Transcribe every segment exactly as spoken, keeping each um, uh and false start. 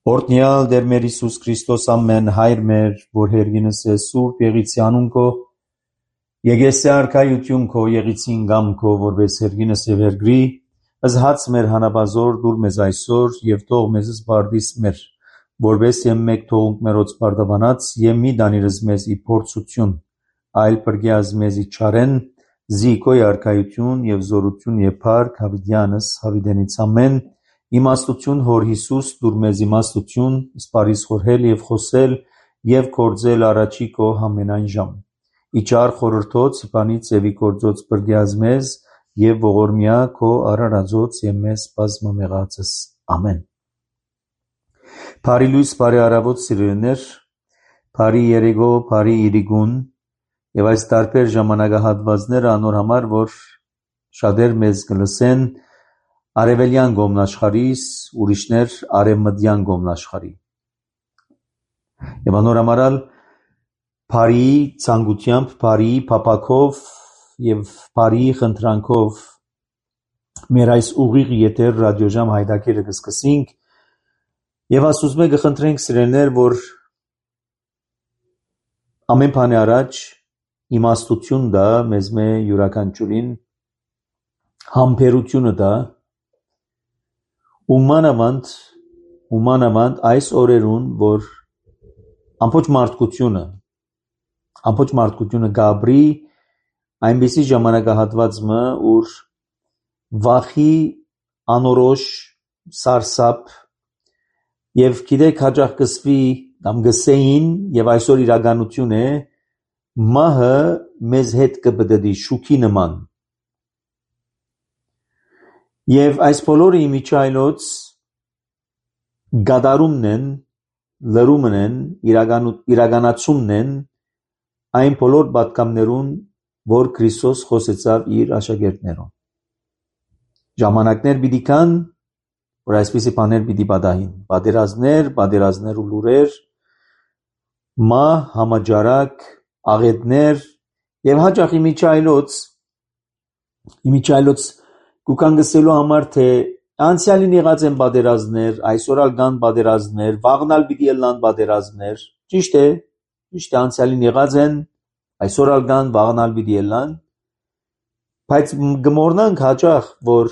Օրհնյալ Տեր մեր Հիսուս Քրիստոս ամեն հայր մեր, որ հերգինս է սուրբ եղիցի անուն քո, եկեսե արքայություն քո եղիցին գամ քո, որպես հերգինս եւ հերգրի, ըզհաց մեր հանապազոր դուր մեզ այսօր եւ թող մեզ զբարդիս մեր, որպես եմ մեկ թողունք մերոց բարդաբանած եւ մի դանիրս մեզ ի փորձություն, այլ պրգյազ մեզ ի չարեն, զիկոյ արքայություն եւ զորություն եւ փառք հավիտյանս հավիտենից ամեն. Իմաստություն հոր Հիսուս դուր մեզ իմաստություն, սպարիս խորհել եւ խոսել եւ կործել առաջի քո ամենայն ժամ։ Իջար խորհրդոց իբանից եւ ի կործոց բրգյազ մեզ եւ ողորմյա քո արարածոց եւ մեզ բազմամեղածս։ Ամեն։ Բարի լույս, բարի առավոտ սիրելիներ, բարի երեկո, բարի իրիգուն եւ այս տարբեր ժամանակահատվածները անոր համար, որ շատեր մեզ կլսեն Արևելյան գոմնաշխարհիս, ուրիշներ արևմտյան գոմնաշխարհի։ Եվ անորամարալ բարի ցանկությամբ, բարի փապակով եւ բարի խնդրանքով մեր այս ուղիղ եթեր ռադիոժամ հայտակիրը կսկսենք եւ ասում ենք կխնդրենք սիրելիներ, որ ամեն բանի առաջ իմաստություն դա մեզ մե յուրաքանչյուրին համբերությունը դա Ումանավանդ, ումանավանդ այս օրերուն, որ ամբողջ մարդկությունը, ամբողջ մարդկությունը գաբրի այնպիսի ժամանակահատվածը, ուր վախի անորոշ սարսափ եւ գիտեք հաջող կսվի կամ գսեին եւ այսօր իրականություն է մահը մեզ հետ կբդդի շուքի նման Եվ այս բոլորը իմիջայլոց գադարումն են, լրումն են, իրականացումն են այն բոլոր պատկամներուն, որ Քրիստոս խոսեցավ իր աշակերտներուն։ Ժամանակներ պիտի կան, որ այսպիսի բաներ պիտի պատահին, պատերազմներ, պատերազմներ ու լուրեր, մահ, համաճարակ, աղետներ եւ հաճախ իմիջայլոց, իմիջայլոց Կուքանգսելու համար թե անցյալին եղած են պատերազմներ, այսօրալ կան պատերազմներ, վաղնալ պիտի ելնան պատերազմներ, ճիշտ է, ճիշտ է անցյալին եղած են, այսօրալ կան վաղնալ պիտի ելնան, բայց գմորնանք հաճախ, որ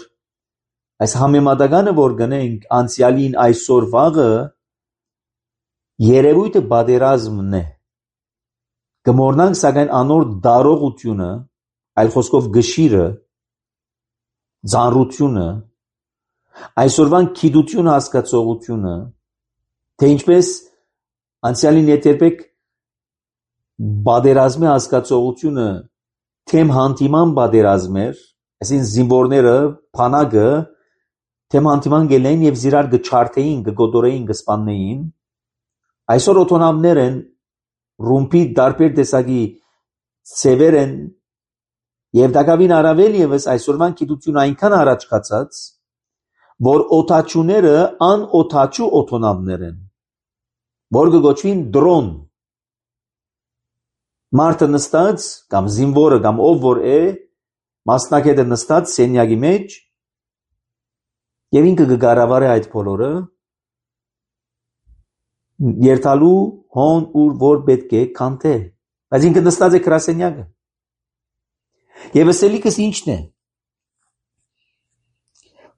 այս համեմատականը որ գնենք անցյալին այսօր վաղը երևույթը պատերազմն է, գմորնանք սակայն անոր դարողությունը, այլ խոսքով գշիրը Ձանրությունը, այսօրվան գիտություն հասկացողությունը, թե ինչպես անցյալին երբեք պատերազմի հասկացողությունը թեմ հանդիման պատերազմ էր, այսինքն զինվորները, փանակը թեմ հանդիման գելեն եւ զիրար գչարթեին, գգոդորեին, գսպաննեին, այսօր օտոնամներ են, ռումբի դարբեր տեսակի ծևեր են Եվ դակավին առավել եւս այսօրվան գիտությունը այնքան առաջ կացած, որ օթաչուները անօթաչու օթոնավներ են, որ կգոչվին դրոն։ Մարդը նստած, կամ զինվորը, կամ ով որ է, մասնակետը նստած սենյակի մեջ, եւ ինքը կգարավարի այդ բոլորը, երթալու հոն ուր որ պետք է կանթե, բայց ինքը նստած է գրասենյակը։ Եվ ասելիքս ինչն է,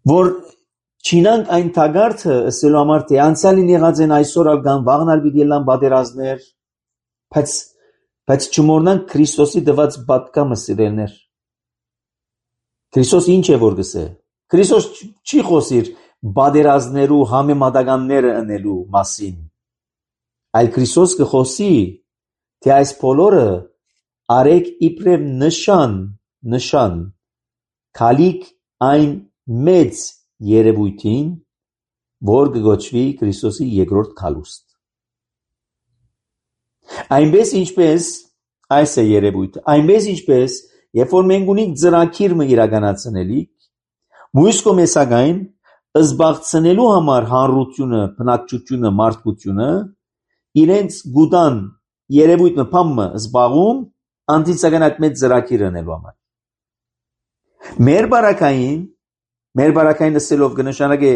որ չինանք այն թագարդը ասելու համար թե անցյալին եղած են այսօր ալգան վաղնալ պիտի ելնան պատերազմներ, բայց, բայց չմոռնանք Քրիստոսի տված պատկամը սիրելներ։ Քրիստոս ինչ է որ գսե։ Քրիստոս չի խոսիր պատերազմներու համեմատականները ընելու մասին, այլ Քրիստոս կխոսի, թե այս բոլորը Արեք իբրև նշան, նշան, քալիք այն մեծ երևույթին, որ կգոչվի Քրիստոսի երկրորդ քալուստ։ Այնպես ինչպես այս է երևույթը, այնպես ինչպես երբ որ մենք ունենք ծրագիրը իրականացնելիք, մյուս կողմեսակայն զբաղցնելու համար հանրությունը, բնակչությունը, մարդկությունը իրենց գուտան երևույթը փամը զբաղում Անտիցական այդ մեծ ծրագիր անելու համար։ Մեր բարակային, մեր բարակային ասելով կնշանակե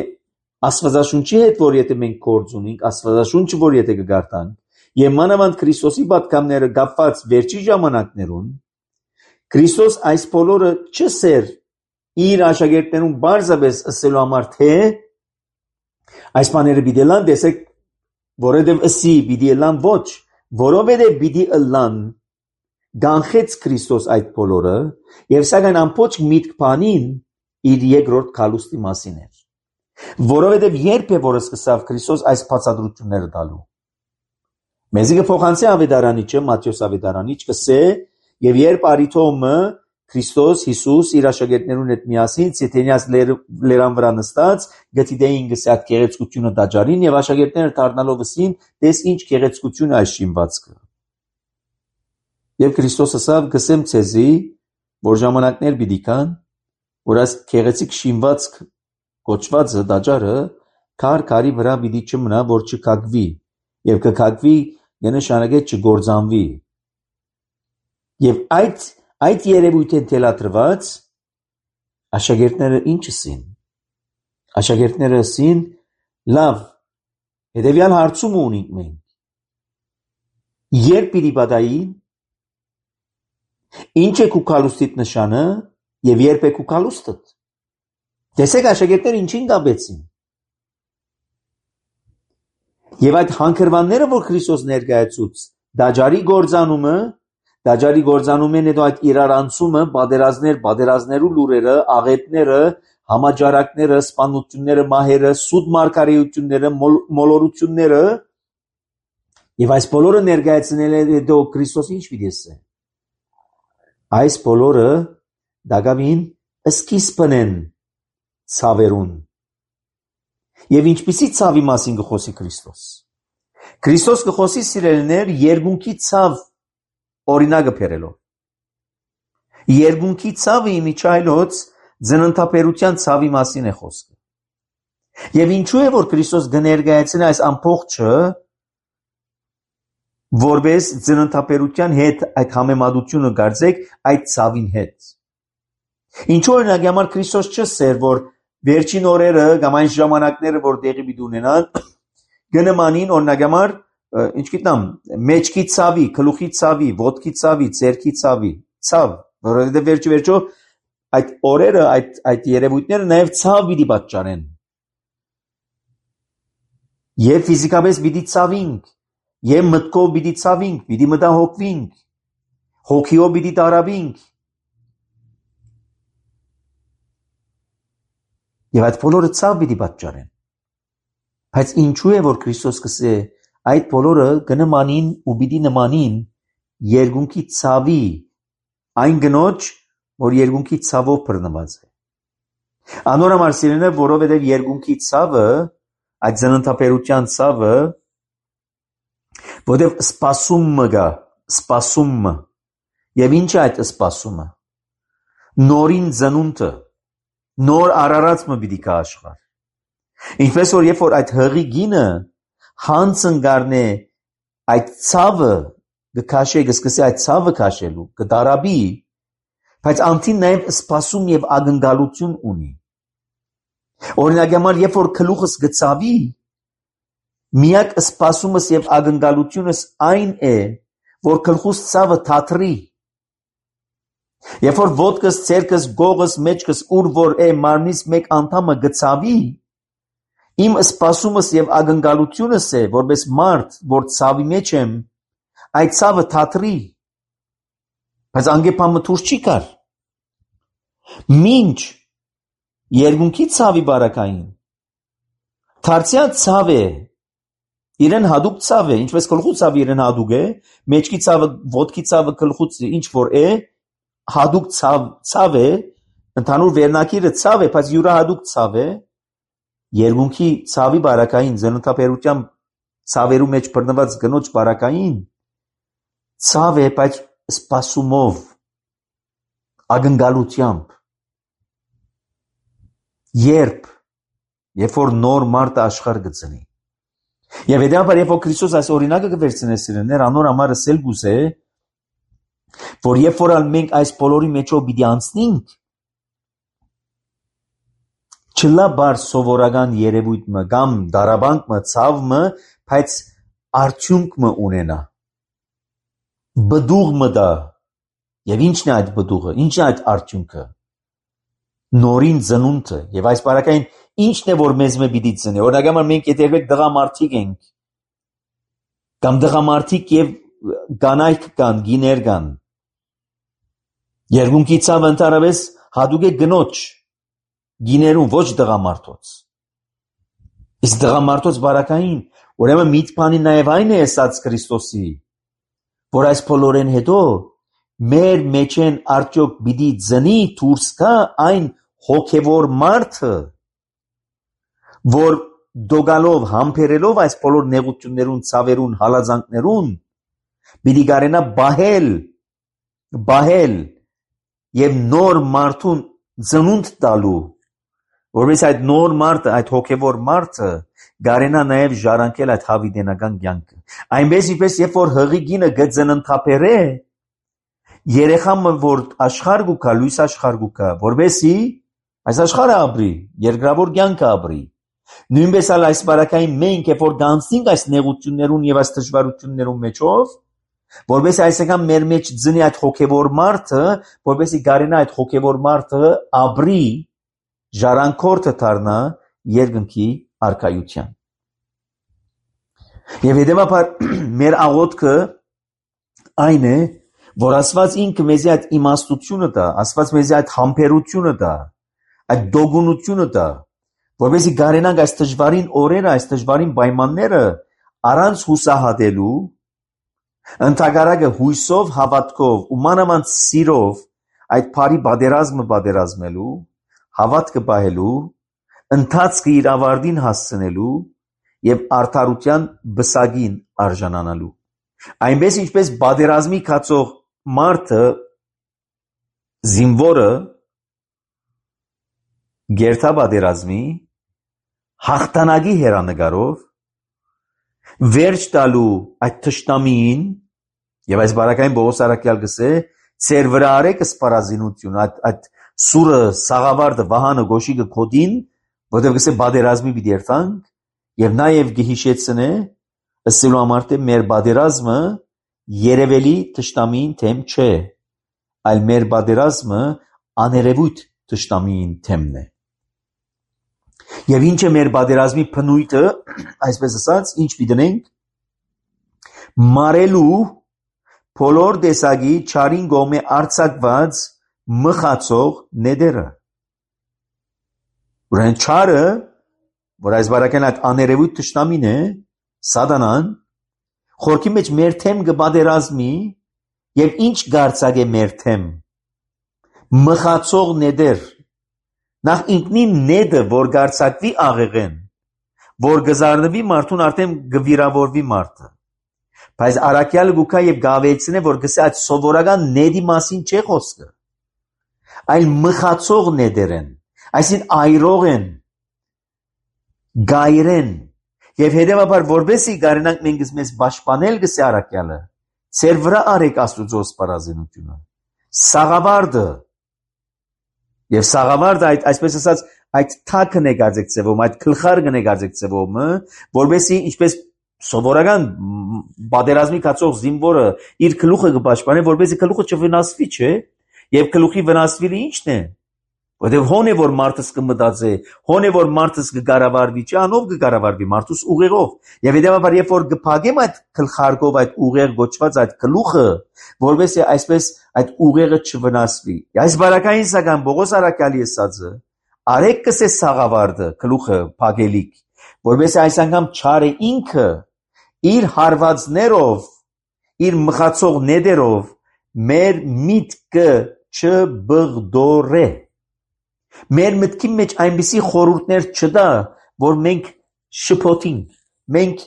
Աստվածաշունչի հետ, որ եթե մենք գործ ունենք, Աստվածաշունչը, որ եթե կգարտանք, եւ մանավանդ Քրիստոսի պատգամները կապված վերջի ժամանակներուն, Քրիստոս այս բոլորը չսեր իր աշակերտներուն բարձրապես ասելու համար, թե այս բաները պիտի լան, տեսեք, որովհետև ըսի պիտի լան ոչ, որովհետև պիտի լան գանխեց Քրիստոս այդ բոլորը, եւ սակայն ամբողջ միտք բանին իր երկրորդ քալուստի մասին էր, որովհետև երբ է որ սկսավ Քրիստոս այս բացատրությունները տալու, մեզի կփոխանցի ավետարանիչը, Մատթեոս ավետարանիչ կսե, եւ երբ արիթոմը Քրիստոս Հիսուս իր աշակերտներուն հետ միասին Ցեթենիաս լերան վրա նստած գտիդեին գսած գեղեցկությունը դաջարին եւ աշակերտները դառնալով ասին դες ինչ գեղեցկություն այս շինվածքը եւ Քրիստոս ասավ գսեմ ցեզի որ ժամանակներ պիտի կան որ այս գեղեցիկ շինվածք կոչվածը դաջարը քար քարի վրա պիտի չմնա որ չկակվի եւ կկակվի նշանակե չգործանվի եւ այդ Այդ երևույթին թելադրված աշակերտները ինչ ասին։ Աշակերտները ասին, լավ, հետևյալ հարցում ունենք մենք։ Երբ պիտի պատահին, ինչ է քու քալուստիդ նշանը եւ երբ է քու քալուստդ։ Տեսեք աշակերտները ինչին կապեցին։ Եվ այդ հանքրվանները, որ Քրիստոս ներկայացուց, դաջարի գործանումը Դաջարի գործանումեն հետո այդ իրարանցումը, բادرազներ, բادرազներու լուրերը, աղետները, համաճարակները, սպանությունները, մահերը, սուտ մարգարեությունները, մոլորությունները եւ այս բոլորը ներկայացնել է հետո Քրիստոս ինչ պիտի ասե։ Այս բոլորը դակավին սկիզբն են ցավերուն։ Եվ ինչպիսի ցավի մասին կխոսի Քրիստոս։ Քրիստոս կխոսի սիրելիներ երկունքի ցավ օրինակը բերելով։ Երկունքի ցավը իմիջայլոց ձնընթափերության ցավի մասին է խոսքը։ Եվ ինչու է որ Քրիստոս կներկայացնի այս ամբողջը որպես ձնընթափերության հետ այդ համեմատությունը գարձեք այդ ցավին հետ։ Ինչու օրինակ համար Քրիստոս չսեր որ վերջին օրերը կամ այն ժամանակները որ տեղի պիտի ունենան գնմանին օրինակ համար ինչ գիտեմ, մեջքի ցավի, գլուխի ցավի, ոտքի ցավի, ձեռքի ցավի, ցավ, որովհետև վերջի վերջո այդ օրերը, այդ այդ երևույթները նաև ցավ պիտի պատճառեն։ Եվ ֆիզիկապես պիտի ցավինք, եւ մտքով պիտի ցավինք, պիտի մտահոգվինք, հոգիով պիտի տարավինք։ Եվ այդ բոլորը ցավ պիտի պատճառեն։ Բայց ինչու է որ Քրիստոս կսե այդ բոլորը կնմանին ու պիտի նմանին երկունքի ցավի այն գնոջ որ երկունքի ցավով բռնված է անորոմար սիրելիներ որովհետև երկունքի ցավը այդ զննթափերության ցավը որովհետև սպասումը գա սպասումը եւ ինչ է այդ սպասումը նորին ծնունդը նոր արարածը պիտի կա աշխարհ ինչպես որ երբ որ այդ հղի գինը հանցն գարնե այդ ցավը գքաշե գսկսի այդ ցավը քաշելու կդարաբի բայց անտին նաև սպասում եւ ակնկալություն ունի օրինակ համար երբ որ գլուխս գծավի միակ սպասումս եւ ակնկալությունս այն է որ գլխուս ցավը թատրի երբ որ ոտքս ցերկս գողս մեջքս ուր որ է մարմնից մեկ անդամը գծավի Իմ սպասումս եւ ակնկալությունս է որպես մարդ որ ցավի մեջ եմ այդ ցավը թատրի բայց անգեպամը դուրս չի գար մինչ երկունքի ցավի բարակային դարձյալ ցավ է իրեն հadoop ցավ է ինչպես գլխու ցավը իրեն հadoop է մեջքի ցավը ոտքի ցավը գլխուց ինչ որ է հadoop ցավ ցավ է ընդհանուր վերնակիրը ցավ է բայց յուրա հadoop ցավ է Երկունքի ցավի բարակային զննթափերության ցավերու մեջ բռնված գնոջ բարակային ցավ է բայց սպասումով ակնկալությամբ երբ երբ որ նոր մարդ աշխարհ գծնի եւ հետեւաբար երբ որ Քրիստոս այս օրինակը կվերցնե սիրելիներ անոր համար ասել գուզե որ երբ որ մենք այս բոլորի մեջով պիտի անցնենք Չլա բար սովորական երևույթ մը կամ դարաբանք մը ցավ մը, բայց արդյունք մը ունենա։ Բդուղ մը դա։ Եվ ինչն է այդ բդուղը, ինչն է այդ արդյունքը։ Նորին ծնունդը, եւ այս բարակային ինչն է որ մեզ մը պիտի ծնի։ Օրինակ համար մենք եթե դղամարդիկ ենք, կամ դղամարդիկ եւ կանայք կան, գիներ կան։ Երկունքի ցավ ընդհանրապես հատուկ է գնոջ գիներուն, ոչ դղամարդոց։ Իսկ դղամարդոց բարակային, ուրեմն միտ բանի նաեւ այն է ասած Քրիստոսի, որ այս բոլորեն հետո մեր մեջ են արդյոք պիտի ծնի դուրս գա այն հոգևոր մարդը, որ դոգալով, համբերելով այս բոլոր նեղություններուն, ցավերուն, հալածանքներուն, պիտի կարենա բահել, բահել եւ նոր մարդուն ծնունդ տալու, որովհետեւ այդ նոր մարդը, այդ հոգևոր մարդը կարենա նաեւ ժառանգել այդ հավիտենական կյանքը։ Այնպես ինչպես երբ որ հղի գինը գծնընթափերը, երեխան որ աշխարհ գուկա, լույս աշխարհ գուկա, որովհետեւ այս աշխարհը ապրի, երկրավոր կյանքը ապրի։ Նույնպես էլ այս բարակային մենք երբ որ գանցնենք այս նեղություններուն եւ այս դժվարություններուն մեջով, որովհետեւ այսինքն մեր մեջ ծնի այդ հոգևոր մարդը, որովհետեւ կարենա այդ հոգևոր մարդը ապրի, ժառանգորդը դառնա երկնքի արքայության։ Եվ հետևաբար մեր աղոթքը այն է, որ Աստված ինքը մեզի այդ իմաստությունը տա, Աստված մեզի այդ համբերությունը տա, այդ դոգունությունը տա, որովհետեւ կարենանք այս դժվարին օրերը, այս դժվարին պայմանները առանց հուսահատելու, ընդհակառակը հույսով, հավատքով ու մանավանդ սիրով այդ բարի պատերազմը պատերազմելու, հավատքը պահելու, ընթացքը իր ավարտին հասցնելու եւ արդարության բսագին արժանանալու։ Այնպես ինչպես պատերազմի կացող մարդը զինվորը գերտա պատերազմի հաղթանակի հերանեկարով վերջ տալու այդ թշնամին եւ այս բարակային Պողոս առաքյալ գսե ծեր վրա արեք սպառազինություն այդ այդ սուրը սաղավարտը վահանը գոշիկը կոդին որտեղ գսե պատերազմի պիտի երթանք եւ նաեւ գհիշեցնե ըսելու համար թե մեր պատերազմը երևելի թշնամին թեմ չէ այլ մեր պատերազմը աներևույթ թշնամին թեմն է եւ ինչ է մեր պատերազմի փնույթը այսպես ասած ինչ պիտենք մարելու բոլոր տեսակի չարին գոմե արցակված մխացող նեդերը ուրեմն չարը որ այս բարակեն այդ աներևույթ թշնամին է սատանան խորքի մեջ մեր թեմ կպատերազմի եւ ինչ գարցակ է մեր թեմ մխացող նեդեր նախ ինքնին նեդը որ գարցակվի աղեղեն որ գզարնվի մարդուն արդեն գվիրավորվի մարդը բայց առաքյալը գուքա եւ գավեցնե որ գսե այդ սովորական նեդի մասին չէ խոսքը այլ մխացող նեդեր են այսին այրող են գայրեն եւ հետեւաբար որբեսի գարենանք մենք մեզ պաշտպանել գսե առաքյալը ծեր վրա արեք Աստուծո սպառազինությունը սաղավարտը եւ սաղավարտը այդ այսպես ասած այդ թակն է գարձեցվում այդ գլխարկն է գարձեցվում որբեսի ինչպես սովորական պատերազմի կացող զինվորը իր գլուխը կպաշտպանի որբեսի գլուխը չվնասվի չէ եւ գլուխի վնասվելը ինչն է որտեւ հոն է որ մարդս կմտածե հոն է որ մարդս կկառավարվի չէ անով կկառավարվի մարդուս ուղեղով եւ հետեւաբար երբ որ կփակեմ այդ գլխարկով այդ ուղեղ գոչված այդ գլուխը որովհետեւ այսպես այդ ուղեղը չվնասվի այս բարակային սակայն Պողոս առաքյալի ասածը արեք կսե սաղավարտը գլուխը փակելիք որովհետեւ այս անգամ չարը ինքը իր հարվածներով իր մխացող նեդերով մեր միտքը չբղդորե մեր մտքի մեջ այնպիսի խորհուրդներ չտա, որ մենք շփոթինք, մենք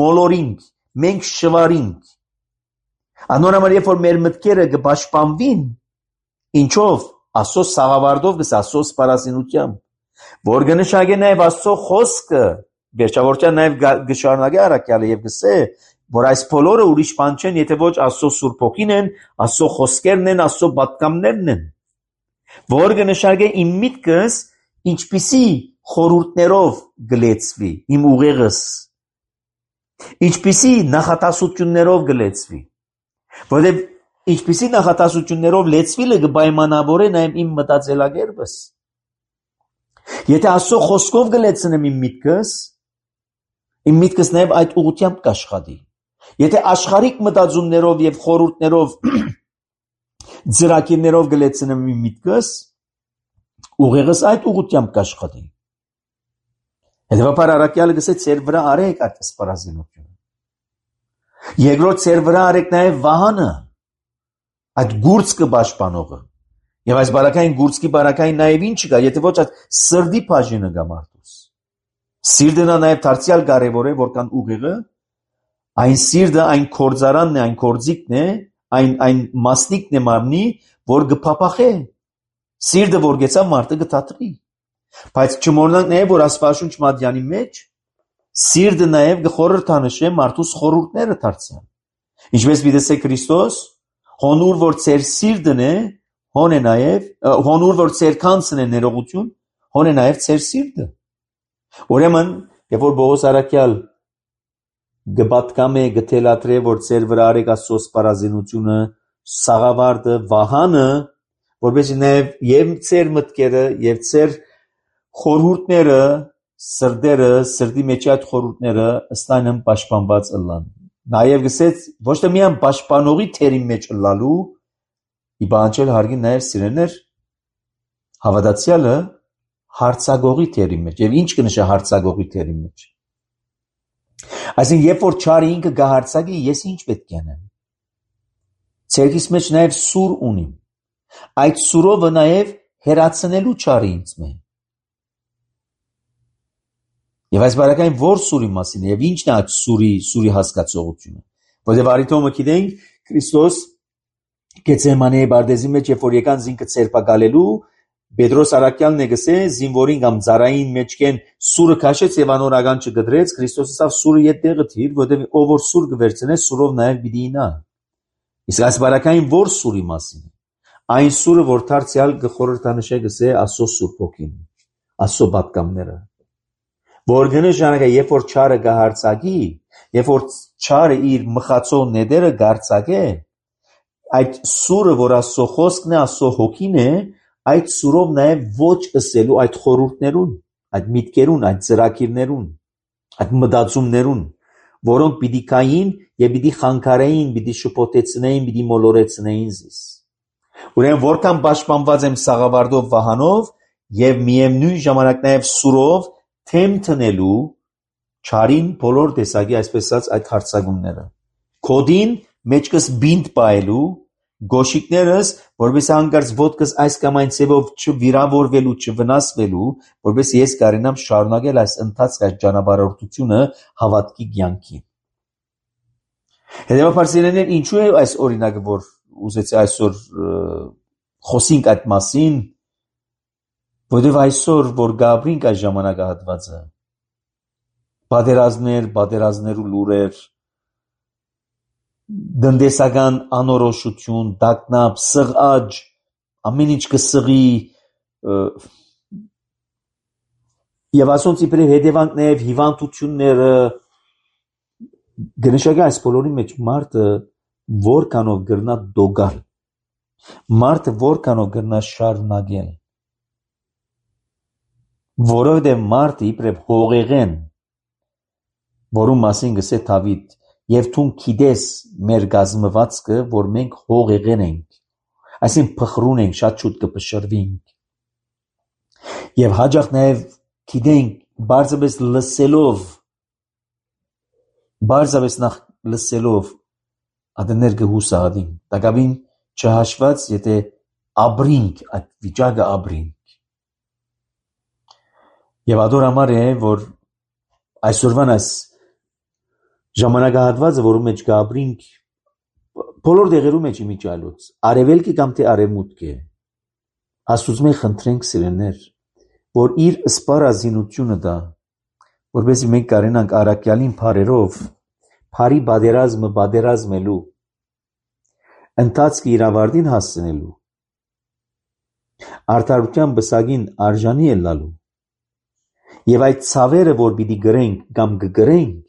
մոլորինք, մենք շվարինք։ Անոնհամար երբ որ մեր մտքերը կպաշտպանվին, ինչով Աստծո սաղավարտով գս Աստծո սպառազինությամբ, որ կնշանակե նաև Աստծո խոսքը, վերջավորության նաև գշարունակե առաքյալը եւ գսե, որ այս բոլորը ուրիշ բան չեն, եթե ոչ Աստծո Սուրբ Հոգին են, Աստծո խոսքերն են, Աստծո պատգամներն են։ Որ կնշանակե իմ միտքս ինչպիսի խորհուրդներով գլեցվի իմ ուղեղս, ինչպիսի նախատասություններով գլեցվի, որովհետև ինչպիսի նախատասություններով լեցվիլը կպայմանավորե նաև իմ մտածելակերպս։ Եթե Աստծո խոսքով գլեցնեմ իմ միտքս, իմ միտքս նաև այդ ուղղությամբ կաշխատի։ Եթե աշխարհիկ մտածումներով եւ խորհուրդներով ծրագիրներով գլեցնեմ իմ միտքս, ուղեղս այդ ուղղությամբ կաշխատի։ Հետևաբար առաքյալը գսե ծեր վրա արեք այդ սպառազինությունը։ Երկրորդ ծեր վրա արեք նաև վահանը, այդ գուրծքը պաշտպանողը։ Եվ այս բարակային գուրծքի բարակային նաև ինչ կա, եթե ոչ այդ սրդի բաժինը կա մարդուս։ Սիրտը նաև դարձյալ կարևոր է, որքան ուղեղը, այն սիրտը, այն կորձարանն է, այն կորձիկն է, այն այն մասնիկն է մարմնի, որ կփափախե։ Սիրտը որ գեցա մարդը կթատրի։ Բայց չմոռանանք նաև, որ Աստվածաշունչ Մատյանի մեջ սիրտը նաև կխորհրդանշե մարդուս խորհուրդները դարձյալ։ Ինչպես պիտեսե Քրիստոս, հոնուր որ ծեր սիրտն է, հոն է նաև, հոնուր որ ծեր քանցն է ներողություն, հոն է նաև ծեր սիրտը։ Ուրեմն, երբ որ Պողոս առաքյալ գբատկամ է գթելատրե, որ ծեր վրա արեք Աստծո սպառազինությունը, սաղավարտը, վահանը, որպեսզի նաև եւ ծեր մտքերը եւ ծեր խորհուրդները, սրդերը, սրդի մեջ այդ խորհուրդները ըստանն պաշտպանված ըլլան։ Նաև գսեց ոչ թե միայն պաշտպանողի թերի մեջ ըլլալու, ի բանջել հարգին նաև սիրեներ հավատացյալը հարցագողի թերի մեջ։ Եվ ինչ կնշա հարցագողի թերի մեջ։ Այսինքն, երբ որ չարը ինքը գահարցակի, ես ինչ պետք է անեմ։ Ցերկիս մեջ նաև սուր ունիմ։ Այդ սուրովը նաև հերացնելու չարը ինձ մե։ Եվ այս բարակային որ սուրի մասին է, եւ ինչն է այդ սուրի, սուրի հասկացողությունը։ Որտեղ արիթոմը գիտենք, Քրիստոս Գեթսեմանի բարձի մեջ, երբ որ եկան զինքը ցերպակալելու, Պետրոս առաքյալն է գսե, զինվորին կամ ծառային մեջքեն սուրը քաշեց եւ անորական չգդրեց, Քրիստոսը ասավ սուրը ետ տեղը թիր, որտեղ ով որ սուր կվերցնե, սուրով նաև պիտի ինա։ Իսկ այս բարակային որ սուրի մասին է։ Այն սուրը, որ դարձյալ գխորհրդանշե գսե Աստծո Սուրբ Հոգին, Աստծո պատկամները։ Որ գնշանակա, երբ որ չարը գահարցակի, երբ որ չարը իր մխացող նետերը գարցակե, այդ սուրը, որ Աստծո խոսքն է, Աստծո Հոգին է, այդ սուրով նաև ոչ ըսելու այդ խորհուրդներուն, այդ միտքերուն, այդ ծրագիրներուն, այդ մտածումներուն, որոնք պիտի կային եւ պիտի խանգարեին, պիտի շփոթեցնեին, պիտի մոլորեցնեին զիս։ Ուրեմն որքան պաշտպանված եմ սաղավարտով վահանով եւ միևնույն ժամանակ նաև սուրով թեմ տնելու չարին բոլոր տեսակի այսպես ասած այդ հարցակումները։ Կոդին մեջքս բինտ պայելու գոշիկներս, որպես հանկարծ ոտքս այս կամ այն ձևով չվիրավորվելու, չվնասվելու, որպես ես կարենամ շարունակել այս ընթացքը, այս ճանապարհորդությունը հավատքի կյանքի։ Հետևաբար սիրելիներ, ինչու է այս օրինակը, որ ուզեցի այսօր խոսենք այդ մասին, որովհետև այսօր, որ գաբրինք այս ժամանակահատվածը, պատերազմներ, պատերազմներու լուրեր, դնդեսական անորոշություն, դակնապ, սղաճ, ամեն ինչ կսղի եւ ասոնց իբրև հետևանքներ, հիվանդությունները գնշակի այս բոլորի մեջ մարդը որքանով գրնա դոգալ, մարդը որքանով գրնա շարունակել, որովհետեւ մարդը իբրև հողեղեն, որում մասին գսե Դավիթ, եւ թուն գիտես մեր գազմվածքը, որ մենք հողեղեն ենք, այսինքն փխրուն ենք, շատ շուտ կփշրվենք, եւ հաջող նաեւ գիտենք բարձրապես լսելով, բարձրապես նախ լսելով ադներ կհուսահատենք, տակավին չհաշված, եթե ապրինք, այդ վիճակը ապրինք։ Եվ ադոր համար է, որ այսօրվան այս ժամանակահատվածը, որում մեջ կապրինք, բոլոր դեղերու մեջ իմիջալոց, արևելքի կամ թե արևմուտք է, Աստուծո մենք խնդրենք սիրելիներ, որ իր սպառազինությունը դա, որպեսզի մենք կարենանք առաքյալին բարերով, բարի պատերազմը պատերազմելու, ընթացքը իր ավարտին հասցնելու, Արդարության բսագին արժանի է լալու։ Եվ այդ ցավերը, որ պիտի գրենք կամ կգրենք,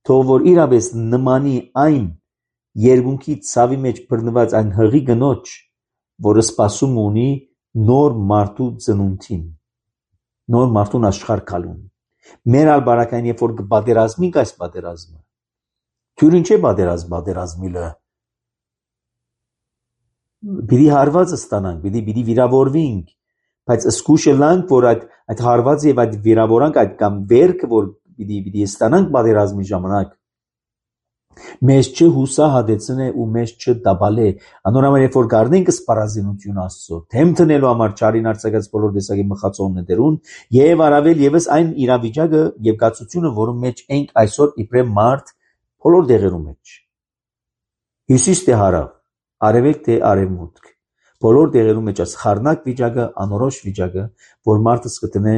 թող որ իրապես նմանի այն երկունքի ցավի մեջ բռնված այն հղի գնոջ, որը սպասում ունի նոր մարդու ծնունդին, նոր մարդուն աշխարհ գալուն։ Մեր ալ բարակային, երբ որ կպատերազմենք այս պատերազմը, թույր ինչ է պատերազմ պատերազմիլը, պիտի հարվածը ստանանք, պիտի պիտի վիրավորվենք, բայց զգուշ ելանք, որ այդ այդ հարվածը եւ այդ վիրավորանք, այդ կամ վերքը, որ պիտի պիտի ստանանք պատերազմի ժամանակ, մեզ չհուսահատեցնե ու մեզ չդաբալե։ Անորոշ երբ որ գարնենք սպառազինություն Աստծո, թեմ տնելու համար չարին արձակած բոլոր տեսակի մխածողներուն եւ առավել եւս այն իրավիճակը եւ գացությունը, որում մեջ ենք այսօր իբրև մարդ բոլոր դեղերու մեջ։ Հյուսիս թե հարավ, արևելք թե արևմուտք, բոլոր դեղերու մեջ այս խառնակ վիճակը, անորոշ վիճակը, որ մարդը սկտնե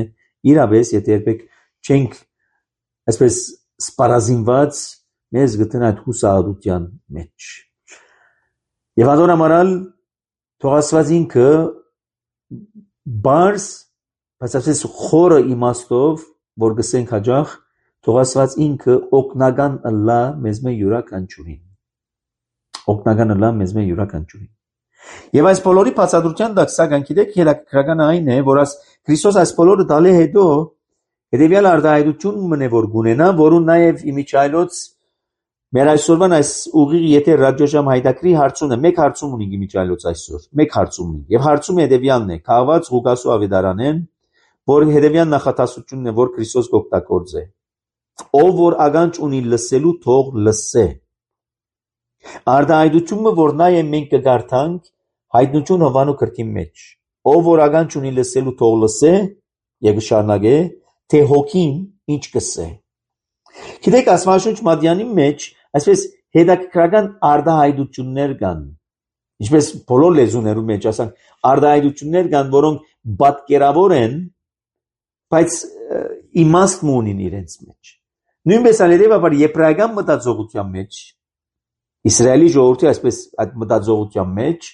իրապես, եթե երբեք չենք այսպես սպառազինված, մեզ գտնեն այդ հուսահատության մեջ։ Եվ adon ամարալ թող Աստված ինքը բարձ, բայց այսպես խորը իմաստով, որ գսենք հաջող, թող Աստված ինքը օգնական ըլլա մեզ մե յուրաքանչյուրին։ Օգնական ըլլա մեզ մե յուրաքանչյուրին։ Եվ այս բոլորի բացատրության տակ սակայն գիտեք հետաքրքրական այն է, որ այս Քրիստոս այս բոլորը տալի հետո հետևյալ արտահայտություն մնե որ գունենա, որուն նաև իմիջայլոց մեր այսօրվան այս ուղիղ եթե ռադիոժամ հայտակրի հարցունը մեկ հարցում ունի իմիջայլոց այսօր, մեկ հարցում ունի։ Եվ հարցումը հետևյալն է. քաղված Ղուկասու ավետարանեն, որ հետևյալ նախատասությունն է, որ Քրիստոս կօգտագործե։ Ով որ ականջ ունի լսելու, թող լսե։ Արտահայտությունը, որ նաև մենք կգարթանք հայտնություն Հովանու գրքի մեջ, ով որ ականջ ունի լսելու, թող լսե, եւ շարունակե, թե հոգին ինչ կսե։ Գիտեք, Աստվածաշունչ Մատյանի մեջ այսպես հետաքրքրական արտահայտություններ կան, ինչպես բոլոր լեզուներու մեջ, ասենք, արտահայտություններ կան, որոնք պատկերավոր են, բայց իմաստ ունին իրենց մեջ։ Նույնպես ալերևաբար եբրայական մտածողության մեջ, Իսրայելի ժողովրդի այսպես այդ մտածողության մեջ,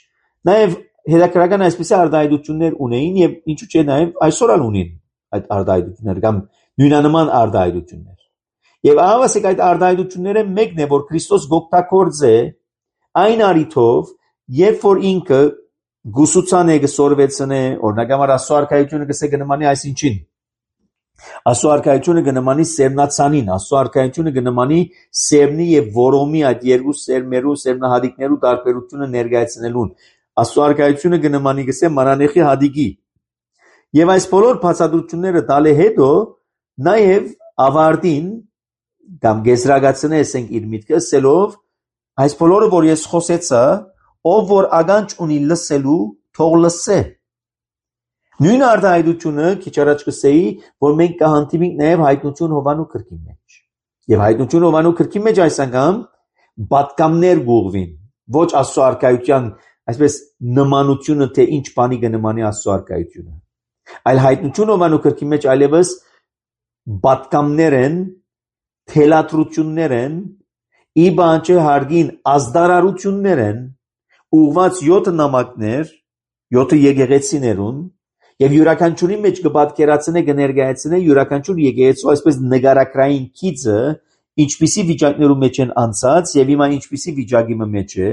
նաև հետաքրքրական այսպես արտահայտություններ ունեին եւ ինչու՞ չէ նաև այսօր ալ ունին այդ արտահայտություններ կամ նույնանման արտահայտություններ։ Եվ ահավասիկ այդ արտահայտությունները մեկն է, որ Քրիստոս գոկտակորձ է այն արիթով, երբ որ ինքը գուսուցան է գսորվեցնե, օրինակ համար Աստծո արքայությունը գսե կնմանի այսինչին։ Աստծո արքայությունը կնմանի սերնացանին, Աստծո արքայությունը կնմանի սերնի եւ որոմի այդ երկու սերմերու, սերնահատիկներու տարբերությունը ներկայացնելուն։ Աստծո արքայությունը կնմանի գսե մանանեխի հադիկի։ Եվ այս բոլոր բացատրությունները տալի հետո նաև ավարտին կամ գեզրագացնեսենք իր միտքը ասելով այս բոլորը որ ես խոսեցա, ով որ ականջ ունի լսելու, թող լսե։ Նույն արտահայտությունը քիչ առաջ կսեի, որ մենք կհանդիպենք նաև հայտնություն Հովանու գրքի մեջ։ Եվ հայտնություն Հովանու գրքի մեջ այս անգամ պատկամներ գուղվին, ոչ Աստծո արքայության այսպես նմանությունը, թե ինչ բանի կնմանի Աստծո արքայությունը։ Այլ հայտնություն Հովանու գրքի մեջ այլևս պատկամներ են, թելադրություններ են, ի բանջը հարգին ազդարարություններ են, ուղված յոթ նամակներ, յոթ եկեղեցիներուն, եւ յուրաքանչյուրի մեջ կպատկերացնե կներկայացնե յուրաքանչյուր եկեղեցու այսպես նկարագրային քիծը, ինչպիսի վիճակներու մեջ են անցած եւ հիմա ինչպիսի վիճակի մեջ է,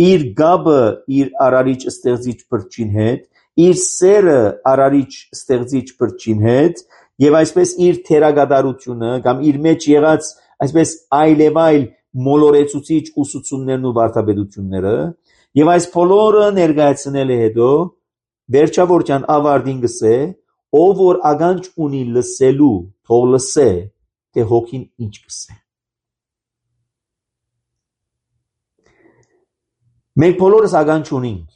իր գաբը իր արարիչ ստեղծիչ բրճին հետ, իր սերը արարիչ ստեղծիչ բրճին հետ եւ այսպես իր թերագադարությունը կամ իր մեջ եղած այսպես այլևայլ մոլորեցուցիչ ուսուցումներն ու վարդապետությունները եւ այս բոլորը ներկայացնել է հետո վերջավորության ավարտին գսե, ով որ ականջ ունի լսելու, թող լսե, թե հոգին ինչ կսե։ Մենք բոլորս ականջ ունենք,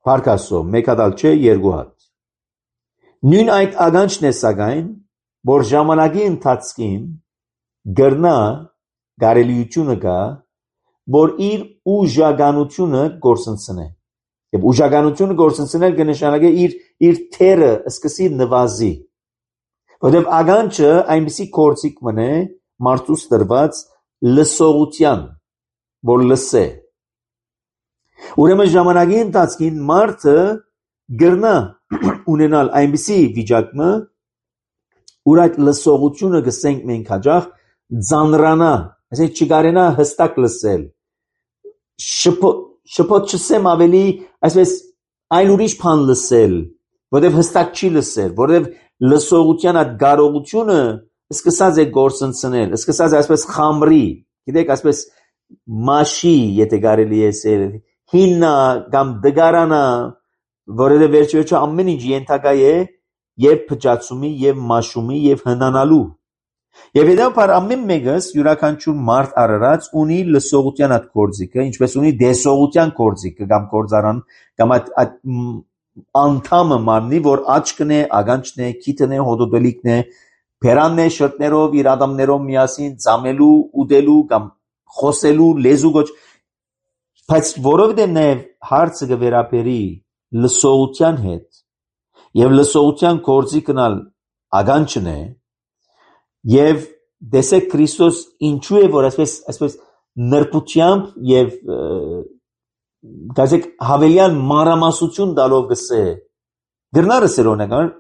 փառք Աստծո, մեկ հատ չէ, երկու հատ։ Նույն այդ ականջն է սակայն, որ ժամանակի ընթացքին գրնա կարելիությունը կա, որ իր ուժականությունը գործընծնե։ Եվ ուժականությունը գործընծնել կնշանակե իր իր թերը սկսի նվազի։ Որտեղ ականջը այնպիսի կորցիկ մնե մարդուց տրված լսողության, որ լսե։ Ուրեմն ժամանակի ընթացքին մարդը գրնա ունենալ այնպիսի վիճակը, ուր այդ լսողությունը գսենք մենք հաջող ձանրանա, այսինքն չկարենա հստակ լսել, շփոթ չսեմ ավելի, այսպես այլ ուրիշ բան լսել, որովհետև հստակ չի լսել, որովհետև լսողության այդ կարողությունը սկսած է գործընծնել, սկսած է այսպես խամրի, գիտեք, այսպես մաշի, եթե կարելի է ասել, հիննա կամ դգարանա, որովհետև վերջի-վերջո ամեն ինչ ենթակա է եւ փճացումի եւ մաշումի եւ հնանալու եւ հետո ամեն մեկս յուրաքանչյուր մարդ արարած ունի լսողության այդ կորձիկը, ինչպես ունի դեսողության կորձիկը կամ կորձարան կամ այդ անդամը մարմնի, որ աչքն է, ագանջն է, քիթն է, հոդոդելիկն է, փերանն է, շրտներով, իր ադամներով միասին ծամելու, ուդելու կամ խոսելու լեզու գոչ, բայց որովհետեւ նաեւ հարցը կվերապերի լսողության հետ եւ լսողության կորձիկն ալ ագանջն է եւ դեսեք Քրիստոս ինչու է որ այսպես այսպես նրբությամբ եւ գազեք հավելյան մանրամասնություն տալով գսե գրնարը սերոնական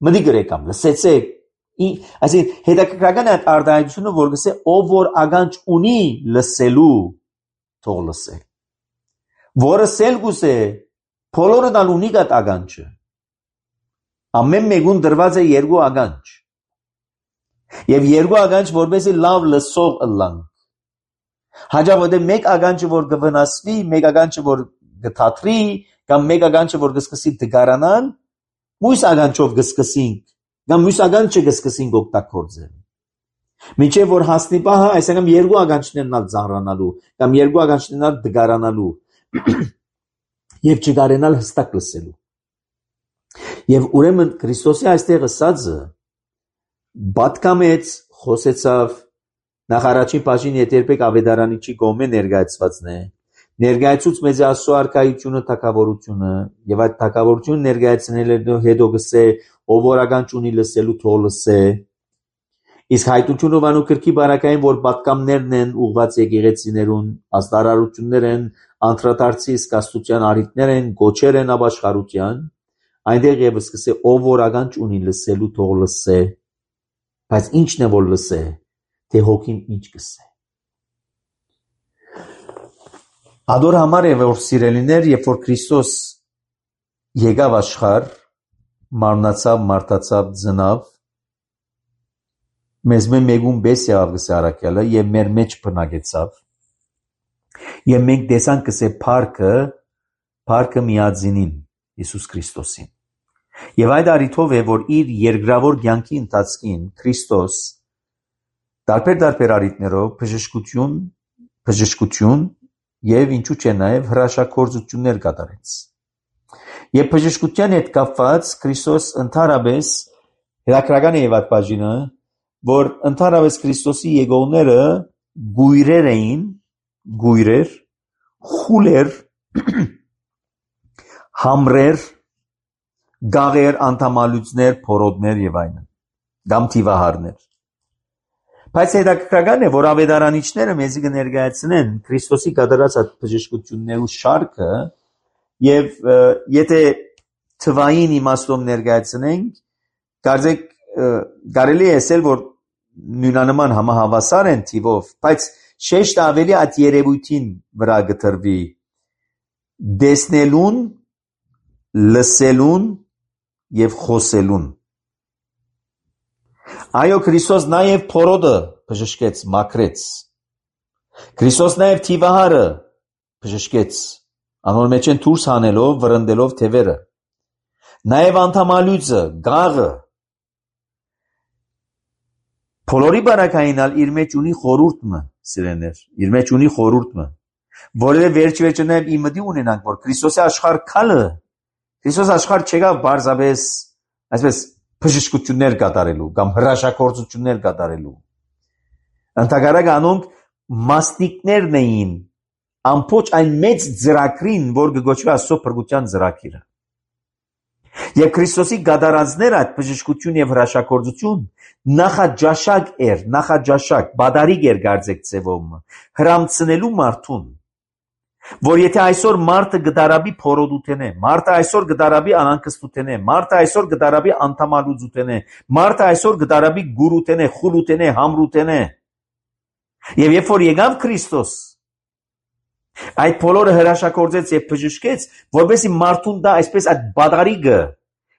մդի գրեկամ լսեցեք այսինքն հետաքրքրական է արտահայտությունը որ գսե ով որ ագանջ ունի լսելու թող լսե որը սել գուսե բոլորը դալ ունի գատ ագանջը ամեն մեկուն դրված է երկու ագանջ եւ երկու ագանջ որպեսզի լավ լսող ըլլանք հաջողվի մեկ ագանջը որ կվնասվի մեկ ագանջը որ կթատրի կամ մեկ ագանջը որ կսկսի դգարանալ մյուս ագանջով կսկսենք կամ մյուս ագանջը կսկսենք օգտագործել մինչեւ որ հասնի բահա այսինքն երկու ագանջներն ալ ծանրանալու կամ երկու ագանջներն ալ դգարանալու եւ չգարենալ հստակ լսելու Եվ ուրեմն Քրիստոսի այստեղ ասածը բատկամեց խոսեցավ նախ առաջին բաժին երբեք ավետարանիչի կողմէ ներկայացվածն է ներկայացուց մեզ Աստծո արքայությունը թագավորությունը եւ այդ թագավորությունը ներկայացնելու հետո գսե ով որ ագանջ ունի լսելու թող լսե իսկ հայտությունը վանու քրքի բարակային որ բատկամներն են ուղված եկեղեցիներուն աստարարություններ են անդրադարձի սկաստության արիտներ են գոչեր են ապաշխարության այնտեղ եւս կսե ով որ ագանջ ունի լսելու թող լսե բայց ինչն է որ լսե թե հոգին ինչ կսե Ադոր համար է որ սիրելիներ երբ որ Քրիստոս եկավ աշխարհ մարմնացավ մարտացավ ծնավ մեզ մեկուն բես եղավ գսե արաքյալը եւ մեր մեջ բնակեցավ եւ մենք տեսանք գսե փառքը փառքը միածինին Հիսուս Քրիստոսին Եվ այդ առիթով է, որ իր երկրավոր կյանքի ընթացքին Քրիստոս տարբեր-տարբեր առիթներով բժշկություն, բժշկություն եւ ինչու՞ չէ նաեւ հրաշագործություններ կատարեց։ Եվ բժշկության հետ կապված Քրիստոս ընդհանրապես հետաքրքրական է եւ այդ բաժինը, որ ընդհանրապես Քրիստոսի եկողները գույրեր էին, գույրեր, խուլեր, համրեր գաղեր, անդամալույցներ, փորոտներ եւ այլն, կամ թիվահարներ։ Բայց հետաքրքրական է, որ ավետարանիչները մեզի կներկայացնեն Քրիստոսի կատարած այդ բժշկություններու շարքը եւ եթե թվային իմաստով ներկայացնենք, կարծեք կարելի է ասել, որ նույնանման համահավասար են թիվով, բայց շեշտը ավելի այդ երևույթին վրա գտրվի դեսնելուն, լսելուն եւ խոսելուն Այո Քրիստոս նաեւ փորոտը բժշկեց, մաքրեց Քրիստոս նաեւ թիվահարը բժշկեց անոր մեջ են դուրս հանելով, վրընդելով թևերը նաեւ անդամալույցը, գաղը Բոլորի բարակայինալ իր մեջ ունի խորհուրդը, սիրեներ, իր մեջ ունի խորհուրդը որովհետեւ վերջ-վերջը նաեւ իմդի ունենանք, որ Քրիստոսի աշխարհ քալը Քրիստոս աշխարհ չեկավ բարձրապես այսպես բժշկություններ կատարելու կամ հրաշագործություններ կատարելու Ընդհակառակը անոնք մասնիկներն էին ամբողջ այն մեծ ծրագրին, որ կգոչվի Աստծո փրկության ծրագիրը Եվ Քրիստոսի կատարածները այդ բժշկություն եւ հրաշագործություն նախաջաշակ էր, նախաջաշակ, բադարիկ էր գարձեք ծևոմ, հրամցնելու մարդուն Որ եթե այսօր մարդը գդարաբի փորոդութենե, մարդը այսօր գդարաբի անանկստութենե, մարդը այսօր գդարաբի անթամալուծութենե, մարդը այսօր գդարաբի գուրութենե, խուլութենե, համրութենե։ Եվ երբ որ եկավ Քրիստոս, այդ բոլորը հրաշագործեց եւ բժշկեց, որովհետեւ մարդուն դա այսպես այդ բադարիգը,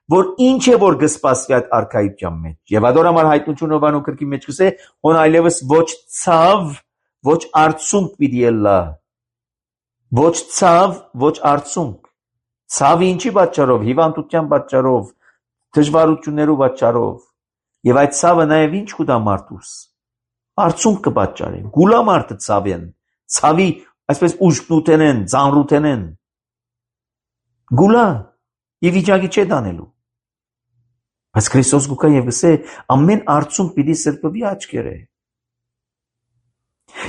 որ ինչ է որ գսպասվի այդ արքայության մեջ։ Եվ ադոր համար հայտնություն Հովանու քրքի մեջ կսե, հոն այլևս ոչ ցավ, ոչ արցունք պիտի ելլա։ Ոչ ցավ, ոչ արցունք։ Ցավի ինչի պատճառով, հիվանդության պատճառով, դժվարություններու պատճառով։ Եվ այդ ցավը նաև ինչ կուտա մարդուս։ Արցունք կպատճառի։ Գուլա մարդը ցավեն։ Ցավի այսպես ուժտնութեն են, ծանրութեն են։ Գուլա եւ վիճակի չէ դանելու։ Բայց Քրիստոս գուկա եւ գսե ամեն արցունք պիտի սրբվի աչքերը։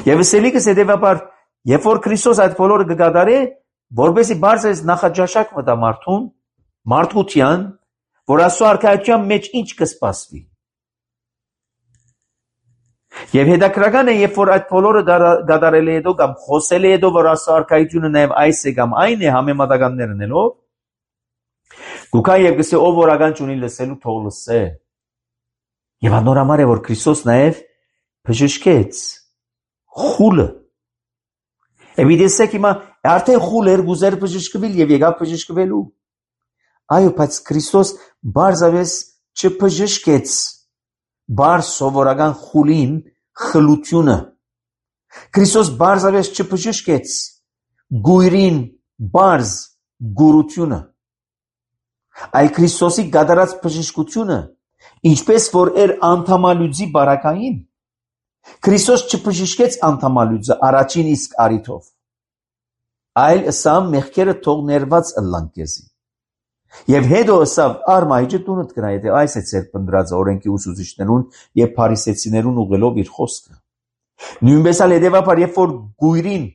Եվ սելիկս հետեւաբար երբ որ Քրիստոս այդ բոլորը կգադարե, որբեսի բարձր նախաճաշակ մտա մարդուն, մարդկության, որ Աստծո արքայության մեջ ինչ կսպասվի։ Եվ հետաքրական է, երբ որ այդ բոլորը գադարել է հետո կամ խոսել է հետո, որ Աստծո արքայությունը նաև այս է կամ այն է համեմատականներ ունելով, գուկա եւ գսե ով որ ականջ ունի լսելու թող լսե։ Եվ անորամար է որ Քրիստոս նաև բժշկեց խուլը։ Եվ դեսեք հիմա արդեն խուլ էր գուզեր բժշկվել եւ եկավ բժշկվելու։ Այո, բայց Քրիստոս բարձավես չբժշկեց բար սովորական խուլին խլությունը։ Քրիստոս բարձավես չբժշկեց գույրին բարձ գուրությունը։ Այլ Քրիստոսի գադարած բժշկությունը, ինչպես որ էր անթամալուծի բարակային, Քրիստոս չբժշկեց անթամալուծը առաջին իսկ արիթով, այլ ըսավ մեղքերը թող ներված ըլլան քեզի։ Եվ հետո ըսավ արմայջը տունդ կնա, եթե այս է ձեր պնդրած օրենքի ուսուցիչներուն եւ փարիսեցիներուն ուղղելով իր խոսքը։ Նույնպես էլ հետեւաբար երբ որ գույրին,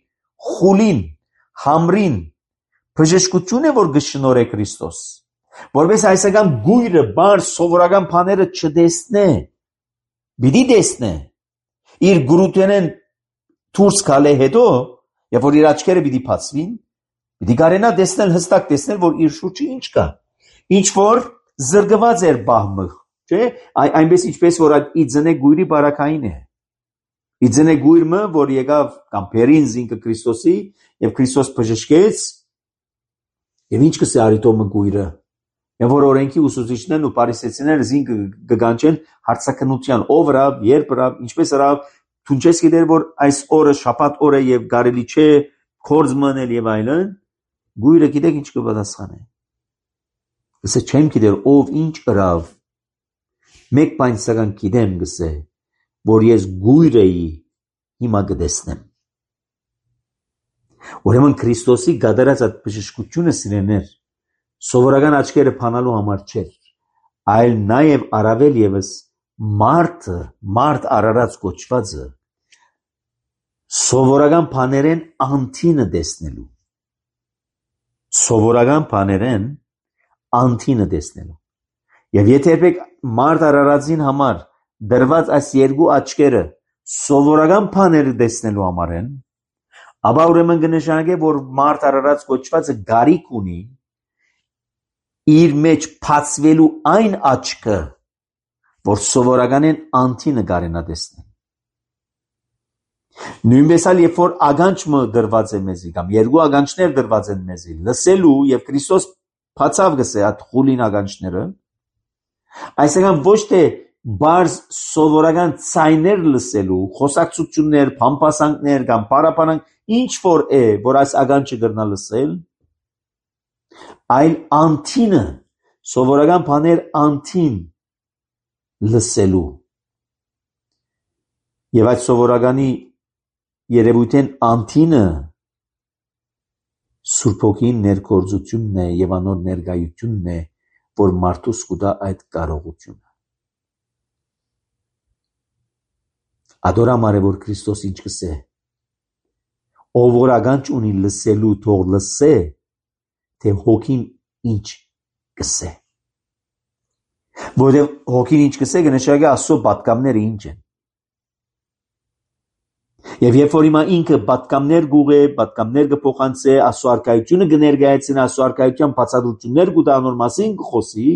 խուլին, համրին բժշկություն է որ գշնորե Քրիստոս, որպես այսական գույրը բար սովորական բաները չդեսնե, պիտի դեսնե, իր գուրութենեն դուրս գալե հետո, երբ որ իր աչքերը պիտի բացվին, պիտի կարենա դեսնել հստակ դեսնել, որ իր շուրջը ինչ կա, ինչ որ զրկված էր բահմը, չէ՞, այնպես ինչպես որ այդ իձնե գույրի բարակային է։ Իձնե գույրը, որ եկավ կամ բերին զինքը Քրիստոսի, եւ Քրիստոս բժշկեց, եւ ինչ կսե արիտոմը գույրը։ Եվ որ օրենքի ուսուցիչներն ու փարիսեցիները զինքը կգանչեն հարցակնության ով ռավ, երբ ռավ, ինչպես ռավ, թունչես գիտեր որ այս օրը շաբաթ օր է եւ կարելի չէ կորձ մնել եւ այլն, գույրը գիտեք ինչ կպատասխանե։ Գսե չեմ գիտեր ով ինչ ռավ։ Մեկ բան սակայն գիտեմ գսե, որ ես գույր էի, հիմա կտեսնեմ։ Ուրեմն Քրիստոսի գադարած այդ բժշկությունը սիրեներ սովորական աչքերը փանալու համար չէր, այլ նաև առավել եւս մարդը, մարդ արարած կոչվածը սովորական բաներեն անտինը տեսնելու։ Սովորական բաներեն անտինը տեսնելու։ Եվ եթե երբեք մարդ արարածին համար դրված այս երկու աչքերը սովորական բաները տեսնելու համար են, ապա ուրեմն կնշանակե, որ մարդ արարած կոչվածը գարիք ունի իր մեջ բացվելու այն աչքը, որ սովորականեն անտինը կարենա տեսնել։ Նույնպես էլ երբ որ ականջը դրված է մեզի, կամ երկու ականջներ դրված են մեզի, լսելու եւ Քրիստոս բացավ գսե այդ խուլին ականջները, այսինքն ոչ թե բարձ սովորական ցայներ լսելու, խոսակցություններ, փամփասանքներ կամ պարապանանք, ինչ որ է, որ այս ականջը կրնա լսել, այլ անտինը, սովորական բաներ անտին լսելու։ Եվ այդ սովորականի երևույթեն անտինը Սուրբ Հոգին ներգործությունն է եւ անոր ներկայությունն է, որ մարդուս կուտա այդ կարողությունը։ Ադորամար է որ Քրիստոս ինչ կսե, ով որ ականջ ունի լսելու թող լսե, թե Հոգին ինչ կսե։ Որովհետև Հոգին ինչ կսե կնշանակի Աստծո պատգամները ինչ են։ Եվ երբ որ հիմա ինքը պատկամներ գուղե, պատկամներ կփոխանցե, ասոարկայությունը կներկայացնի, ասոարկայության բացատրություններ կտա անոր մասին կխոսի,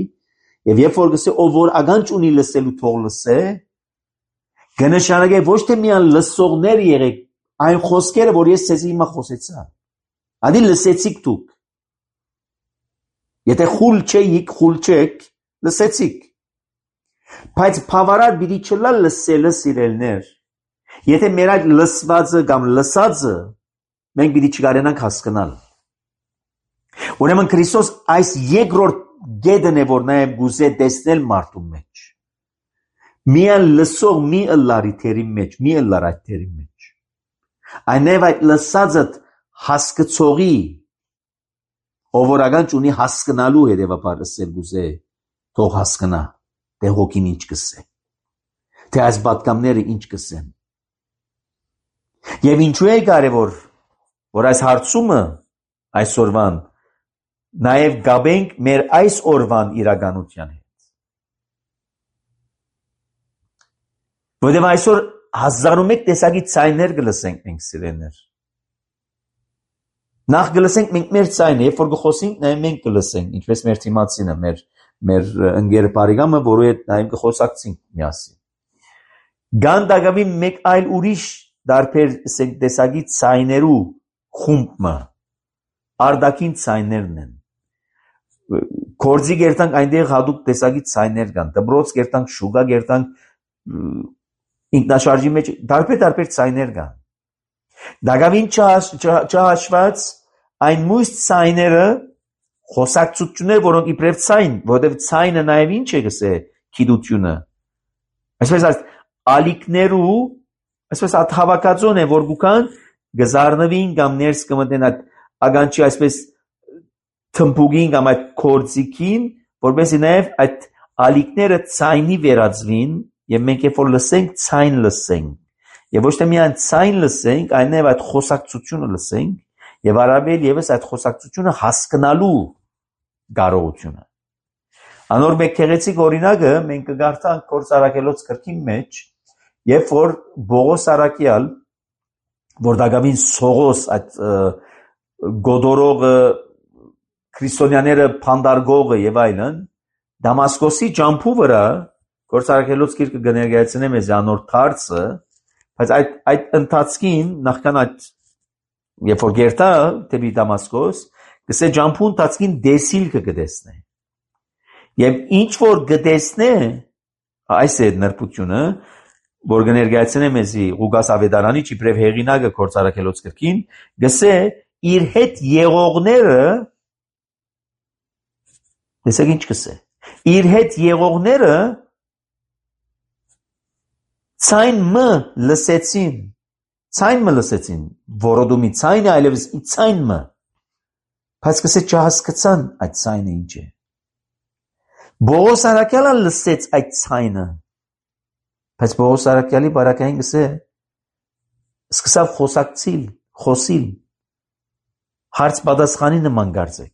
եւ երբ որ գսե ով որ ականջ ունի լսելու թող լսե, կնշանակե ոչ թե միան լսողներ եղեք, այն խոսքերը, որ ես ցեզի հիմա խոսեցա։ Ադի լսեցիք դուք։ Եթե խուլ չեք, խուլ չեք, լսեցիք։ Բայց բավարար պիտի չլա լսելը սիրելներ։ Եթե մեր այդ լսվածը կամ լսածը մենք պիտի չկարենանք հասկանալ։ Ուրեմն Քրիստոս այս երկրորդ գեդն է, որ նաև գուզե տեսնել մարդու մեջ։ Միան լսող մի ըլլարի թերի մեջ, մի ըլլար այդ թերի մեջ։ Այնև այդ լսածը հասկացողի, ով որ ականջ ունի հասկանալու հետևաբար լսել գուզե, թող հասկանա, թե հոգին ինչ կսե, թե այս պատկամները ինչ կսեն։ Եվ ինչու է կարևոր, որ այս հարցումը այսօրվան նաև գաբենք մեր այս օրվան իրականության հետ։ Որտեղ այսօր հազար ու մեկ տեսակի ցայներ կլսենք մենք սիրելիներ։ Նախ կլսենք մենք մեր ցայնը, երբ որ կխոսենք, նաև մենք կլսենք, ինչպես մեր թիմացինը, մեր մեր ընկեր բարեկամը, որու հետ նաև կխոսակցենք միասին։ Գանդագավի մեկ այլ ուրիշ դարբեր տեսակի ցայներու խումբը արդակին ցայներն են։ Կորձի գերտանք այնտեղ հատուկ տեսակի ցայներ կան, դբրոց գերտանք, շուգա գերտանք, ինքնաշարժի մեջ դարբեր-դարբեր ցայներ կան։ Դագավին չհաշված այն մույս ցայները խոսակցություններ, որոնք իբրև ցայն, որովհետև ցայնը նաև ինչ է գսե գիտությունը։ Այսպես ասած, ալիքներու, այսպես այդ հավաքածուն է, որ գուքան գզարնվին կամ ներս կմտնեն այդ ականջի այսպես թմբուկին կամ այդ կորձիկին, որպեսզի նաև այդ ալիքները ցայնի վերածվին, եւ մենք երբ որ լսենք, ցայն լսենք։ Եվ ոչ թե միայն ցայն լսենք, այլ նաև այդ խոսակցությունը լսենք, եւ առավել եւս այդ խոսակցությունը հասկանալու կարողությունը։ Անոր մեկ քեղեցիկ օրինակը մենք կգարտանք Գործ Առաքելոց գրքի մեջ, երբ որ Բողոս Արաքյալ, որ դակավին Սողոս այդ գոդորողը քրիստոնյաները փանդարգողը եւ այլն, Դամասկոսի ջամփու վրա Գործ Առաքելոց գիրքը կներկայացնեմ ես անոր թարցը, բայց այդ այդ ընթացքին նախքան այդ երբ որ գերտա դեպի Դամասկոս, գսե ջամփու ընթացքին դեսիլքը կտեսնե։ Եվ ինչ որ կտեսնե, այս է նրբությունը, որ կներկայացնեմ ես Ղուկաս Ավետարանի իբրև հեղինակը Գործ Առաքելոց գրքին, գսե իր հետ եղողները, տեսեք ինչ կսե, իր հետ եղողները ցայն մը լսեցին, ցայն մը լսեցին, որոդումի ցայնը այլևս ցայն մը, բայց կսե չհասկացան այդ ցայնը ինչ է։ Բողոս Արաքյալը լսեց այդ ցայնը, բայց Բողոս Արաքյալի բարակային գսե սկսավ խոսակցիլ, խոսիլ, հարց պատասխանի նման գարձեք։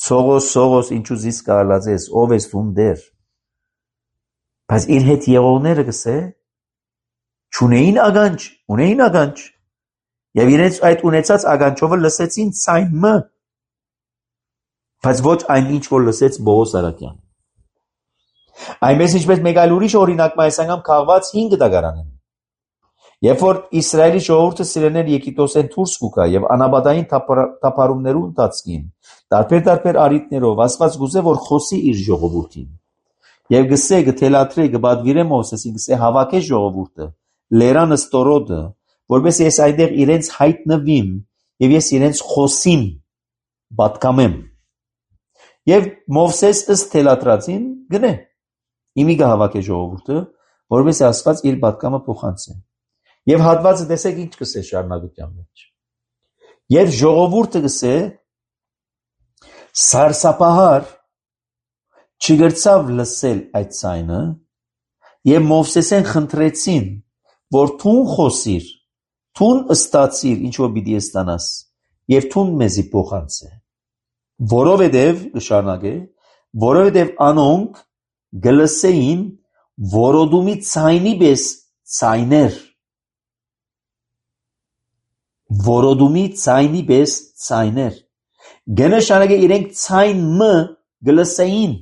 Սողոս, Սողոս, ինչու զիս կարալած ես, ով ես դուն դեր։ Բայց իր հետ եղողները գսե չունեին ականջ, ունեին ականջ, եւ իրենց այդ ունեցած ականջովը լսեցին ցայն մը, բայց ոչ այն ինչ որ լսեց Բողոս Արաքյանը։ Այնպես ինչպես մեկ այլ ուրիշ օրինակ այս անգամ քաղված հինգ դագարանն։ Երբ որ Իսրայելի ժողովուրդը սիրելներ Եգիպտոսեն դուրս կուկա եւ անաբադային թափառումներու ընթացքին, տարբեր-տարբեր արիտներով Աստված գուզե որ խոսի իր ժողովրդին։ Եվ գսե գթելաթրե գբադվիրե Մովսեսին գսե հավաքե ժողովուրդը, լերանը ստորոդը, որպես ես այդեղ իրենց հայտնվիմ եւ ես իրենց խոսիմ, պատկամեմ։ Եվ Մովսես ըստ թելաթրածին գնե։ Իմի գահավաքե ժողովուրդը, որպես Աստված իր պատկամը փոխանցե։ Եվ հատվածը տեսեք ինչ կսե շարունակության մեջ։ Եվ ժողովուրդը գսե սարսափահար չգրցավ լսել այդ ցայնը, եւ Մովսեսեն խնդրեցին, որ թուն խոսիր, թուն ստացիր, ինչ որ պիտի ստանաս, եւ թուն մեզի փոխանցե։ Որովհետեւ շարունակե, որովհետեւ անոնք գլսեին որոդումի ցայնի պես ցայներ։ որոդումի ցայնի պես ցայներ գնշանագե իրենք ցայն մ գլսեին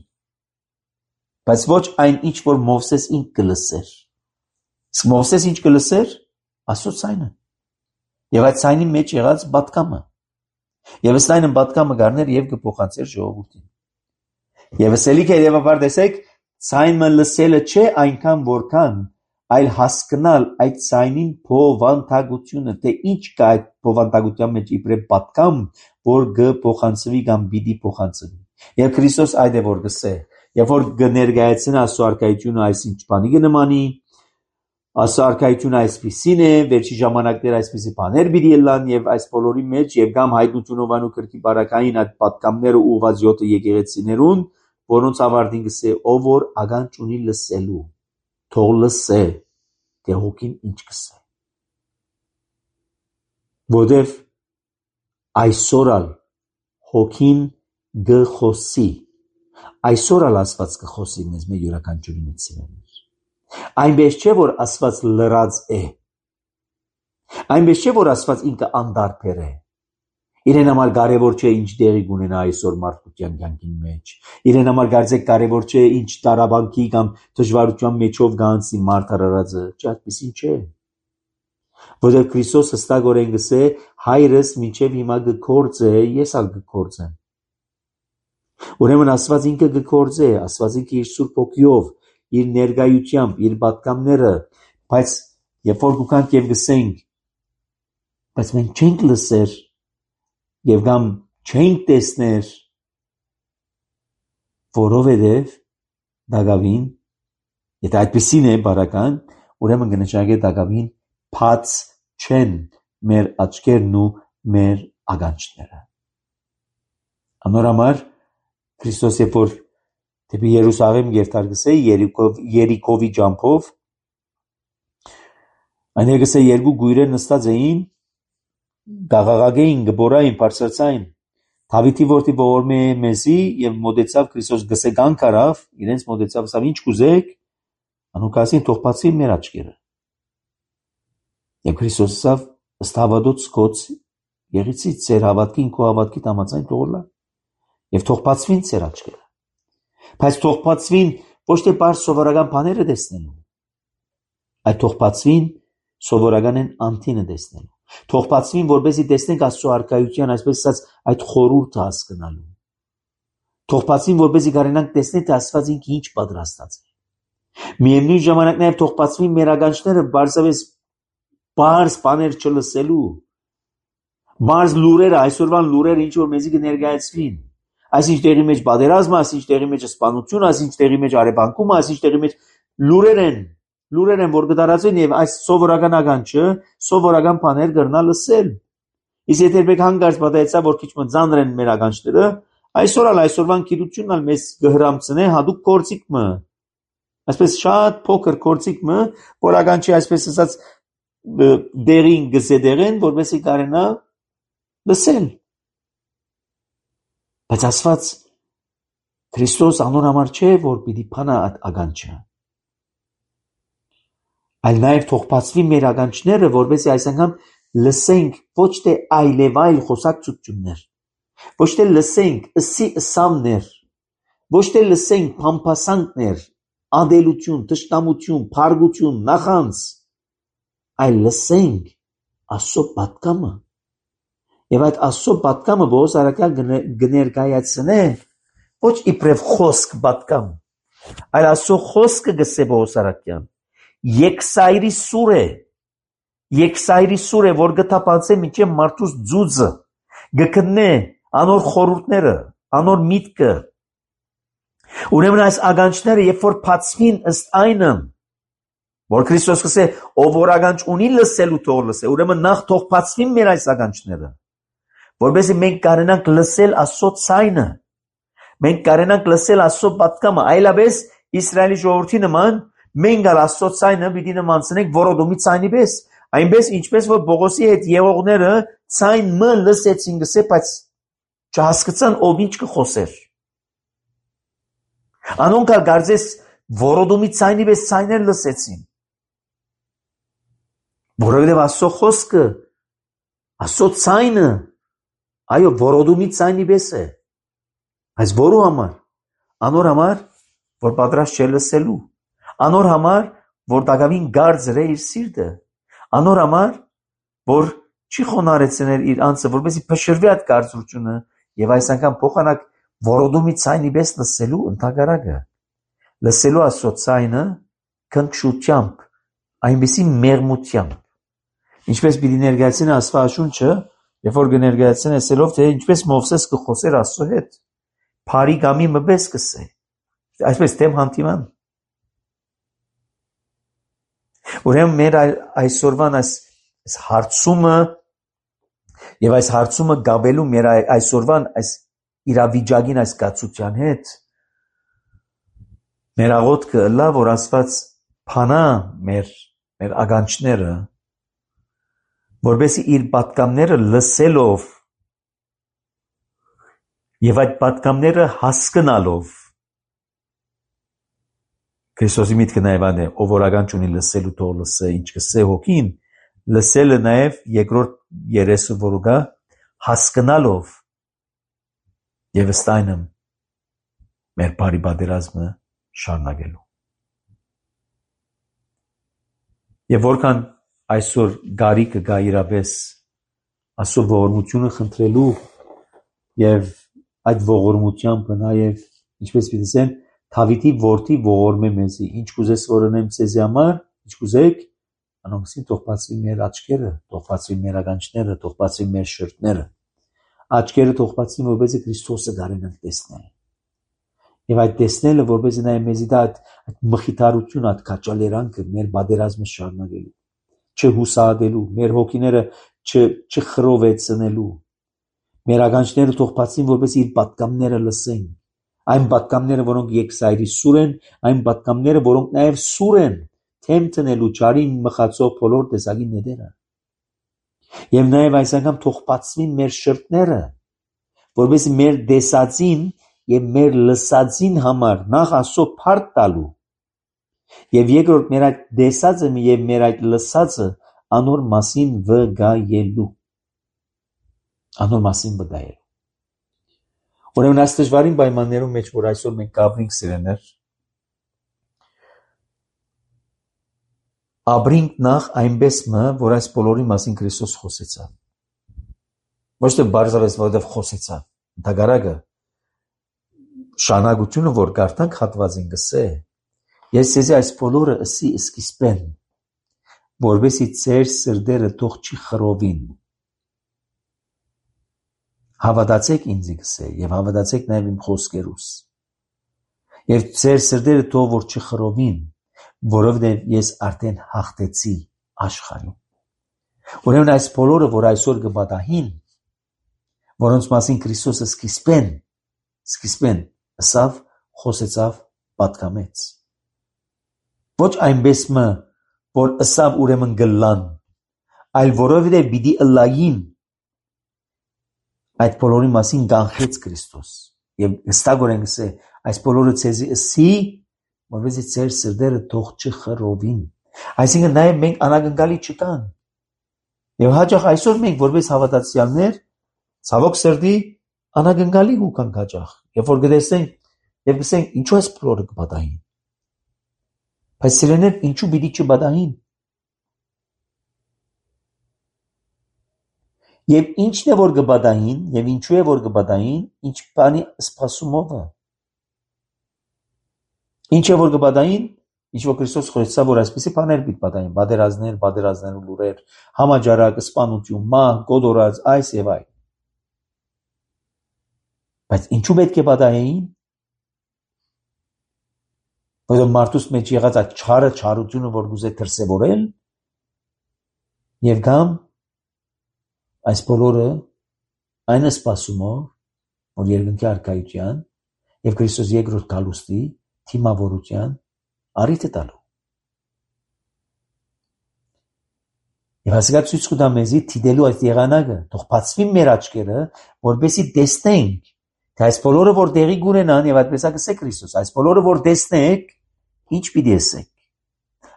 բայց ոչ այն ինչ որ Մովսես ինք գլսեր իսկ Մովսես ինչ գլսեր Աստծո ցայնը եւ այդ ցայնի մեջ եղած պատկամը եւ ըստ այն պատկամը գարներ եւ կփոխանցեր ժողովրդին եւ ըսելիք է երևաբար տեսեք ցայնը լսելը չէ այնքան որքան այլ հասկանալ այդ ցայնին փոխանցությունը թե ինչ կա այդ փոխանցության մեջ իբրև պատկամ որ կփոխանցվի կամ պիտի փոխանցվի եւ Քրիստոս այդ է որ գսե եւ որ կներկայացնի Աստծո արքայությունը այսինչ բանի կնմանի Աստծո արքայությունը այսպիսին է վերջի ժամանակներ այսպիսի բաներ պիտի ելան եւ այս բոլորի մեջ եւ կամ հայտնությունով անու քրքի բարակային այդ պատկամները ուղված յոթը եկեղեցիներուն որոնց ավարտին գսե ով որ ագանջ ունի լսելու թող լսե թե հոգին ինչ կսե որովհետև այսօրալ հոգին գխոսի այսօրալ Աստված կխոսի մեզ մեր յուրաքանչյուրի մեջ սիրելիներ այնպես չէ որ Աստված լրած է այնպես չէ որ Աստված ինքը անդարբեր է իրեն համար կարևոր չէ ինչ դերի կունենա այսօր մարդկության կյանքի մեջ իրեն համար կարծեք կարևոր չէ ինչ տարաբանքի կամ դժվարության մեջով գանցի մարդ արարածը չէ այդպեսին չէ որովհետև Քրիստոս հստակորեն գսե հայրս մինչև հիմա կգործե ես ալ կգործեմ ուրեմն Աստված ինքը կգործե Աստված ինքը իր սուրբ ոգիով իր ներկայությամբ իր պատկամները բայց երբ որ գուքանք եւ գսենք բայց մենք չենք լսեր եւ կամ չենք տեսներ որովհետեւ դակավին եթե այդպեսին է բարական ուրեմն կնշանակե դակավին փած չեն մեր աչքերն ու մեր ագանջները անորամար Քրիստոս երբ որ դեպի Երուսաղեմ գերտար գսե Երիկովի ջամփով այնեղ գսե երկու գույրեր նստած էին գաղաղագեին գբորային բարձրացային Դավիթի որդի ողորմե մեզի եւ մոդեցավ Քրիստոս գսե գանքարավ իրենց մոդեցավ ասավ ինչ կուզեք անուկասին թող բացվի մեր աչքերը եւ Քրիստոս ասավ ըստ հավատոց կոց եղիցի ծեր հավատքին քո հավատքի համաձայն թողլա եւ թող բացվին ծեր աչքերը բայց թող բացվին ոչ թե բար սովորական բաները տեսնելու այդ թող բացվին սովորական են անտինը տեսնելու թող բացվին որպեսզի տեսնենք Աստծո արքայության այսպես ասած այդ խորհուրդը հասկանալու թող բացվին որպեսզի կարենանք տեսնել թե Աստված ինքը ինչ պատրաստած է միևնույն ժամանակ նաեւ թող բացվին մեր ագանջները բարձավես բարձ բաներ չլսելու բարձ լուրերը այսօրվան լուրերը ինչ որ մեզի կներկայացվին այսինչ տեղի մեջ բادرազմը, այսինչ տեղի մեջ սպանություն, այսինչ տեղի մեջ արևանկումը, այսինչ տեղի մեջ լուրեր են, լուրեր են որ կդարածվեն եւ այս սովորական ագանջը, սովորական բաներ կրնա լսել։ Իսկ եթե եք հանգարց պատահեցա որ քիչ մը ծանր են մեր ագանջները, այսօր ալ այսօրվան գիտությունն ալ մեզ կհրամցնե հadoop կորցիկը։ Այսպես շատ փոքր կորցիկը, որ ագանջի այսպես ասած դերին գսեդերեն, որովհետեւ կարենա լսել։ Բայց ասված Քրիստոս անոր համար չէ որ պիտի փանա այդ ագանջը այլ նաև թող բացվի մեր ագանջները որովհետեւ այս անգամ լսենք ոչ թե այլևայլ խոսակցություններ ոչ թե լսենք ըսի ըսամներ ոչ թե լսենք փամփասանքներ ադելություն տշտամություն փարգություն նախանց այլ լսենք Աստծո պատկամը Եվ այդ Աստծո պատկամը Բոհոս Արաքյալ կներկայացնե ոչ իբրև խոսք պատկամ, այլ Աստծո խոսքը գսե Բոհոս Արաքյան, եկսայրի սուր է, եկսայրի սուր է, որ գտապանցե մինչև մարդուս ձուծը, գկնե անոր խորհուրդները, անոր միտքը, ուրեմն այս ագանջները երբ որ բացվին ըստ այնը, որ Քրիստոս գսե ով որ ագանջ ունի լսելու թող լսե, ուրեմն նախ թող բացվին մեր այս ագանջները որովհետեւ մենք կարենանք լսել Աստծո ցայնը մենք կարենանք լսել Աստծո պատկամը այլապես Իսրայելի ժողովրդի նման մենք ալ Աստծո ցայնը պիտի նմանցնենք որոդումի ցայնի պես այնպես ինչպես որ Բողոսի հետ եղողները ցայն մը լսեցին գսե բայց չհասկացան ով ինչ կխոսեր անոնք ալ գարձես որոդումի ցայնի պես ցայներ լսեցին որովհետեւ Աստծո խոսքը Աստծո ցայնը, այո, որոդումի ցայնի պես է, այս որու համար, անոր համար, որ պատրաստ չէ լսելու, անոր համար, որ դակավին գարձր է իր սիրտը, անոր համար, որ չի խոնարեցնել իր անձը, որպեսզի փշրվի այդ կարծրությունը եւ այս անգամ փոխանակ որոդումի ցայնի պես լսելու ընդհանրակը, լսելու Աստծո ցայնը քնքշությամբ, այնպեսի մեղմությամբ, ինչպես պիտի ներկայացնի Աստվածաշունչը, երբ որ կներկայացնի ասելով, թե ինչպես Մովսես կխոսեր Աստծո հետ, փարի գամի մպես կսե, այսպես դեմ հանդիման։ Ուրեմն մեր այսօրվան այս հարցումը եւ այս հարցումը գաբելու մեր այսօրվան այս իրավիճակին այս կացության հետ մեր աղոթքը լա որ Աստված փանա մեր մեր ագանչները որովհետեւ իր պատկամները լսելով եւ այդ պատկամները հասկանալով Քրիստոսի միտքը նաեւ այն է ով որ ագանչ ունի լսելու թող լսե ինչ կսե հոգին լսելը նաեւ երկրորդ երեսը որ ուղա հասկանալով եւ ստայնեմ մեր բարի պատերազմը շարունակելու եւ որքան այսօր գարիկը գա իրապես Աստծո ողորմությունը խնդրելու եւ այդ ողորմությամբ նաեւ ինչպես պիտի ասեմ Դավիթի որդի ողորմե մեզի ինչ կուզես որ անեմ ցեզի համար ինչ կուզեք անոնցին թող բացվի մեր աչքերը թող բացվի մեր ականջները թող բացվի մեր շրթները աչքերը թող բացվի որպեսզի Քրիստոսը գարենանք տեսնել եւ այդ տեսնելը որպեսզի նա մեզի դա այդ մխիթարություն այդ քաչալերանքը մեր բادرազմը շարունակելու չհուսահատելու մեր հոգիները չխրովեցնելու մեր ականջները թող բացվին որպեսզի իր պատկամները լսեն այն պատկամները որոնք եկսայրի սուր են այն պատկամները որոնք նաեւ սուր են թեմ տնելու ճարին մխածող բոլոր տեսակի նետերը եւ նաեւ այս անգամ թող բացվին մեր շրթները որովհետեւ մեր դեսածին եւ մեր լսածին համար նախ Աստծո փառք տալու եւ երկրորդ մեր այդ դեսածը եւ մեր այդ լսածը անոր մասին վգայելու անոր մասին վգայելու Ուրեմն այս դժվարին պայմաններում մեջ որ այսօր մենք կապրինք սիրեներ Աբրինք նախ այնպես մը որ այս բոլորի մասին Քրիստոս խոսեցավ ոչ թե բարձրապես որովհետև խոսեցավ դագարագը շանագությունը որ կարդանք հատվածին գսե ես ցեզի այս բոլորը ըսի սկիզբեն որովհետեւ ծեր սրդերը թող չի խռովին Հավատացեք ինձ գսե եւ հավատացեք նաեւ իմ խոսքերուս եւ ծեր սրդերը թող որ չխռովին որովհետեւ ես արդեն հաղթեցի աշխարհին ուրեմն այս բոլորը որ այսօր կբադահին որոնց մասին Քրիստոսը սկիզբեն սկիզբեն ասավ խոսեցավ պատկամեց ոչ այնպես մը որ ասավ ուրեմն գլան այլ որովհետեւ պիտի ըլլային այդ բոլորի մասին գանխեց Քրիստոս եւ հստակորեն ասե այս բոլորը ցեզի ըսի որովհետեւ ծեր սրդերը թող չխռովին այսինքն նաեւ մենք անագնկալի չկան եւ հաջող այսօր մենք որպես հավատացյալներ ցավոք սրդի անագնկալի հուքան հաջող երբ որ գտեսենք եւ գսենք ինչու այս բոլորը կբադային բայց սիրեներ ինչու պիտի չբադային Եվ ինչն է որ կբադային, եւ ինչու է որ կբադային, ինչ բանի սպասումով է։ Ինչ է որ կբադային, ինչ որ Քրիստոս խոսեցավ, որ այսպեսի բաներ պիտի բադային, բادرազներ, բادرազներու լուրեր, համաճարակ, սպանություն, մահ, գոդորած, այս եւ այլ։ Բայց ինչու պետք է բադային։ Որովհետեւ մարդուս մեջ եղած այդ չարը, չարությունը, որ գուզե դրսևորել, եւ կամ Այս բոլորը այն է սպասումով, որ երկնքի արքայության եւ Քրիստոս երկրորդ գալուստի թիմավորության առիթ է տալու։ Եվ հասկացի ցույց կտա մեզի թիդելու այդ եղանակը, թող բացվի մեր աչքերը, որպեսզի տեսնենք, թե այս բոլորը որ տեղի կունենան եւ այդպես ասե Քրիստոս, այս բոլորը որ տեսնեք, ինչ պիտի ասեք։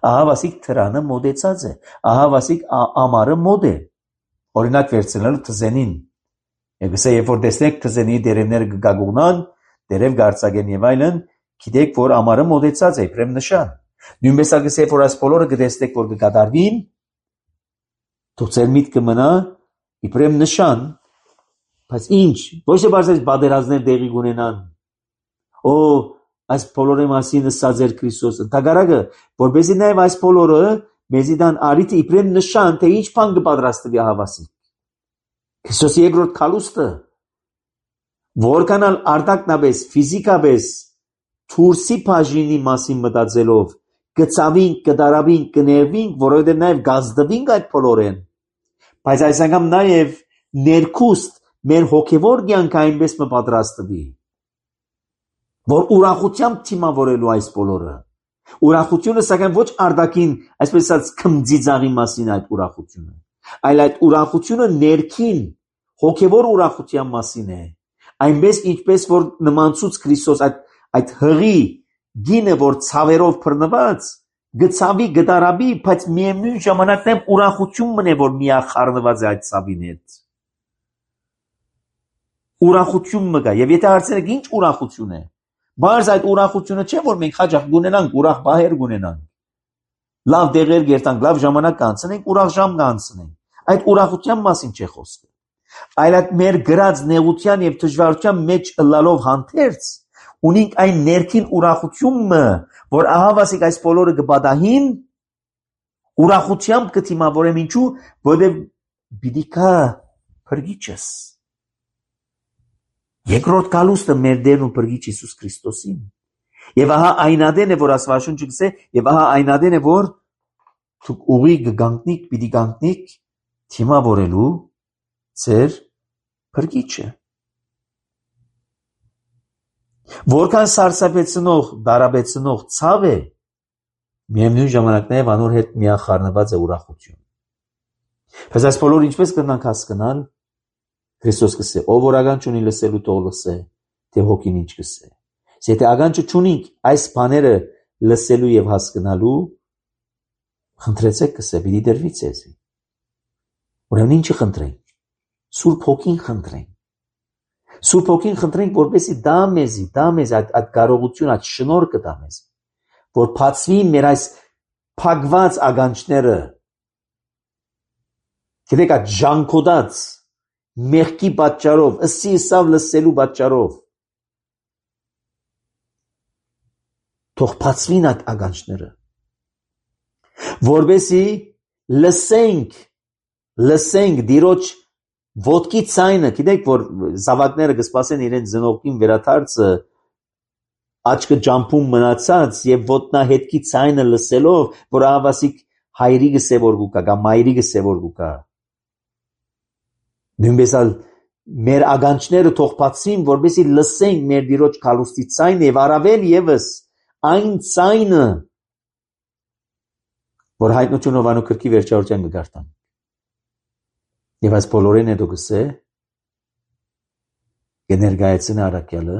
Ահա վասիկ թրանը մոդեցած է, ահա վասիկ ամառը մոդ է։ օրինակ վերցնելու թզենին։ Եգսե երբ որ տեսնեք թզենի դերևները գգագունան, դերև գարցագեն եւ այլն, գիտեք որ ամառը մոտեցած է, իբրեմ նշան։ Նույնպես ագսե երբ որ այս բոլորը գտեսնեք որ կկատարվին, թող ձեր միտքը մնա իբրեմ նշան, բայց ինչ, ոչ թե բարձր բادرազներ դեղի ունենան։ Օ, այս բոլորի մասին ասած էր Քրիստոսը։ Տագարագը, որբեսի նաև այս բոլորը մեզի դան արիթ իբրեմ նշան, թե ինչ բան կպատրաստվի հավասի։ Քրիստոսի երկրորդ քալուստը որքանալ արտակնաբես, ֆիզիկաբես թուրսի բաժինի մասին մտածելով, կծավին, կդարավին, կներվին, որովհետև նաև գազդվին այդ բոլորեն։ Բայց այս անգամ նաև ներքուստ մեր հոգևոր կյանքը այնպես մպատրաստվի, որ ուրախությամբ թիմավորելու այս բոլորը։ Ուրախությունը սակայն ոչ արտաքին, այսպես ասած, քմծիծաղի մասին այդ ուրախությունը, այլ այդ ուրախությունը ներքին, հոգևոր ուրախության մասին է։ Այնպես ինչպես որ նմանցուց Քրիստոս այդ այդ հղի գինը, որ ցավերով բռնված, գծավի գդարաբի, բայց միևնույն ժամանակ նեմ ուրախություն մնե, որ միախառնված է այդ ցավին հետ։ Ուրախություն մգա, եւ եթե հարցնեք ինչ ուրախություն է, բայց այդ ուրախությունը չէ, որ մենք հաջող գունենանք, ուրախ բահեր գունենանք, լավ դեղեր գերտանք, լավ ժամանակ կանցնենք, ուրախ ժամ կանցնենք։ Այդ ուրախության մասին չէ խոսքը, այլ այդ մեր գրած նեղության եւ դժվարության մեջ ըլլալով հանդերձ ունենք այն ներքին ուրախությունը, որ ահավասիկ այս բոլորը կբադահին, ուրախությամբ կթիմավորեմ ինչու, որովհետև պիտի կա փրկիչս։ Երկրորդ գալուստը մեր Տերն ու Փրկիչ Հիսուս Քրիստոսին։ Եվ ահա այնադեն է, որ Աստվածաշունչը գսե, եւ ահա այնադեն է, որ դուք ուղի կգանքնիք, պիտի գանքնիք թիմավորելու ձեր Փրկիչը։ Որքան սարսափեցնող, դարաբեցնող ցավ է, միևնույն ժամանակ նաև անոր հետ միախառնված է ուրախություն։ Բայց այս բոլորը ինչպես կնանք հասկանալ, Քրիստոս կսե, ով որ ագանջ ունի լսելու թող լսե, թե հոգին ինչ կսե։ Եթե ագանջը չունենք այս բաները լսելու եւ հասկանալու, խնդրեցեք կսե, պիտի դրվի ցեզի։ Ուրեմն ինչի խնդրենք։ Սուրբ հոգին խնդրենք։ Սուրբ հոգին խնդրենք, որպեսզի դա մեզի, դա մեզ այդ այդ կարողություն, այդ շնորհքը դա մեզ, որ բացվի մեր այս փակված ագանջները, գիտեք այդ ժանքոդած մեղքի պատճառով, ըսի սավ լսելու պատճառով, թող բացվին այդ ագանջները, որպեսզի լսենք, լսենք Տիրոջ ոտքի ցայնը, գիտեք որ զավակները կսպասեն իրենց ծնողքին վերադարձը, աչքը ջամփում մնացած եւ ոտնահետքի ցայնը լսելով, որ ահավասիկ հայրի գսեվոր գուկա, կամ մայրի գսեվոր գուկա։ Նույնպես ալ մեր ագանջները թող բացվին, որպեսզի լսենք մեր Տիրոջ քալուստի ցայնը եւ առավել եւս այն ցայնը, որ հայտնություն Հովանու գրքի վերջավորության կգարտան։ Եվ այս բոլորին հետո գսե կներկայացնի առաքյալը,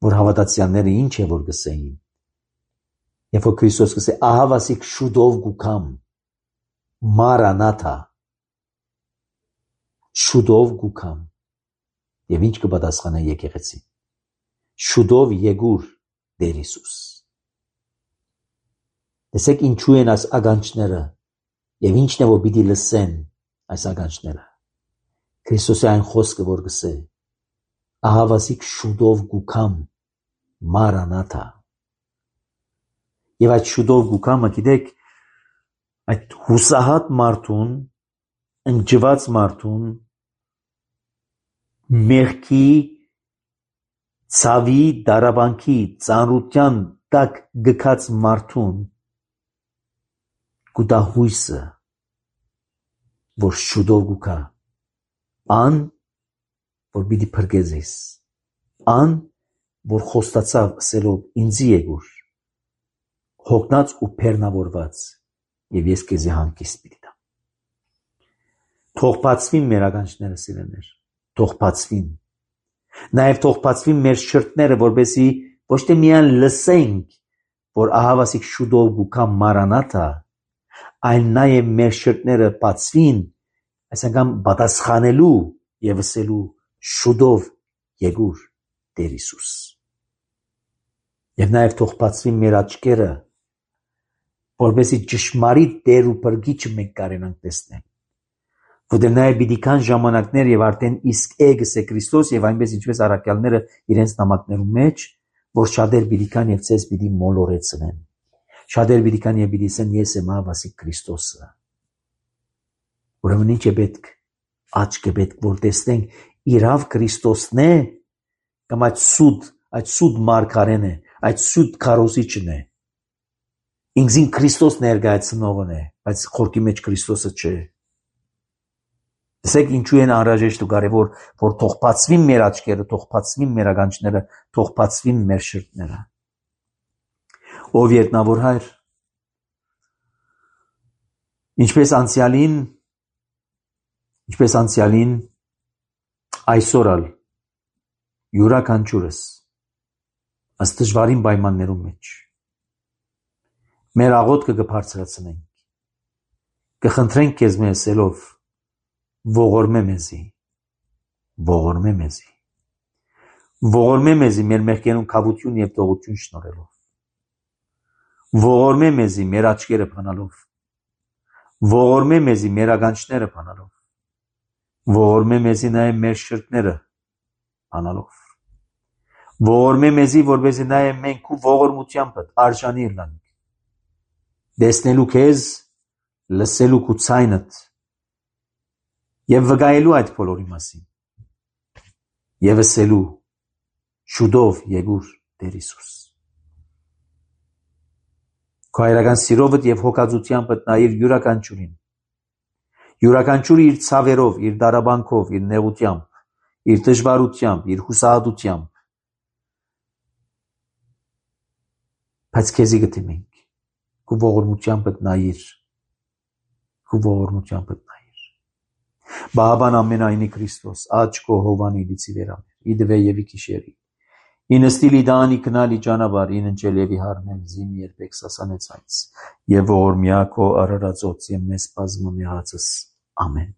որ հավատացյալները ինչ է որ գսեին։ Եվ որ Քրիստոս գսե ահավասիկ շուտով գուքամ, մարանաթա, շուտով գուքամ։ Եվ ինչ կպատասխանե եկեղեցին։ Շուտով եկուր Տեր Հիսուս։ Տեսեք ինչու են այս ագանջները եւ ինչն է որ պիտի լսեն այս ագանջները։ Քրիստոսի այն խոսքը որ գսե ահավասիկ շուտով գուքամ, մարանաթա։ Եվ այդ շուտով գուքամը գիտեք այդ հուսահատ մարդուն, ընջված մարդուն, մեղքի, ցավի, դարաբանքի, ծանրության տակ գքած մարդուն գուտա հույսը, որ շուտով գուքա, ան, որ պիտի փրկեզես, ան, որ խոստացավ ասելով ինձի եկուր, հոգնած ու բեռնավորված, եւ ես քեզի հանգիստ պիտի տամ։ Թող բացվին մեր ագանջները, սիրելիներ, թող բացվին։ Նաեւ թող բացվին մեր շրթները, որպեսզի ոչ թե միայն լսենք, որ ահավասիկ շուտով գուքա մարանաթա, այլ նաեւ մեր շրթները բացվին, այսինքն պատասխանելու եւ ասելու շուտով եկուր Տեր Հիսուս։ Եվ նաեւ թող բացվի մեր աչքերը, որովհետեւ ճշմարիտ Տեր ու Փրկիչը մենք կարենանք տեսնել։ Որտեղ նաև պիտի կան ժամանակներ եւ արդեն իսկ եկես է Քրիստոս եւ այնպես ինչպես առաքյալները իրենց նամակներում մեջ, որ շատեր պիտի կան եւ ցես պիտի մոլորեցնեն։ Շատեր պիտի կան եւ պիտի ասեն ես եմ ավասիկ Քրիստոսը։ Ուրեմն ինչ է պետք, աչք է պետք, որ տեսնենք իրավ Քրիստոսն է կամ այդ սուտ, այդ սուտ մարգարեն է, այդ սուտ քարոզիչն է։ Ինքզին Քրիստոս ներկայացնողն է, բայց խորքի մեջ Քրիստոսը չէ։ Տեսեք ինչու են անհրաժեշտ ու կարևոր, որ թող բացվի մեր աչքերը, թող բացվի մեր ականջները, թող բացվի մեր շրթները։ Ով երկնավոր Հայր, ինչպես անցյալին, ինչպես անցյալին, այսօր ալ յուրաքանչյուրս ըստ դժվարին պայմաններում մեջ մեր աղոթքը կբարձրացնենք, կխնդրենք քեզ մեզ ասելով ողորմե մեզի, ողորմե մեզի, ողորմե մեզի մեր մեղքերուն քավություն եւ տողություն շնորհելով, ողորմե մեզի մեր աչքերը փանալով, ողորմե մեզի մեր ականջները փանալով, ողորմե մեզի նաեւ մեր շրթները փանալով, ողորմե մեզի որպեսզի նաեւ մենք ու ողորմությամբ արժանի լինենք, տեսնելու քեզ, լսելու քու ցայնդ եւ վկայելու այդ բոլորի մասին եւ ասելու շուտով եկուր Տեր Հիսուս։ Քո հայրական սիրովդ եւ հոգածությամբ նայիր յուրաքանչյուրին, յուրաքանչյուրը իր ցավերով, իր դարաբանքով, իր նեղությամբ, իր դժվարությամբ, իր հուսահատությամբ, բայց քեզի գտիմենք, քո ողորմությամբ նայիր, քո ողորմությամբ նայիր։ Բաբան ամենայնի Քրիստոս, աչքո հովանի լիցի վերամեր, իդվե եվի կիշերի, ինստիլի դանի կնալի ճանաբար, ինընջել եվի հարնել զիմ երբեք սասանեցայց, եւ ողորմյա քո արարածոց եւ մեզ բազմամյացս, ամեն։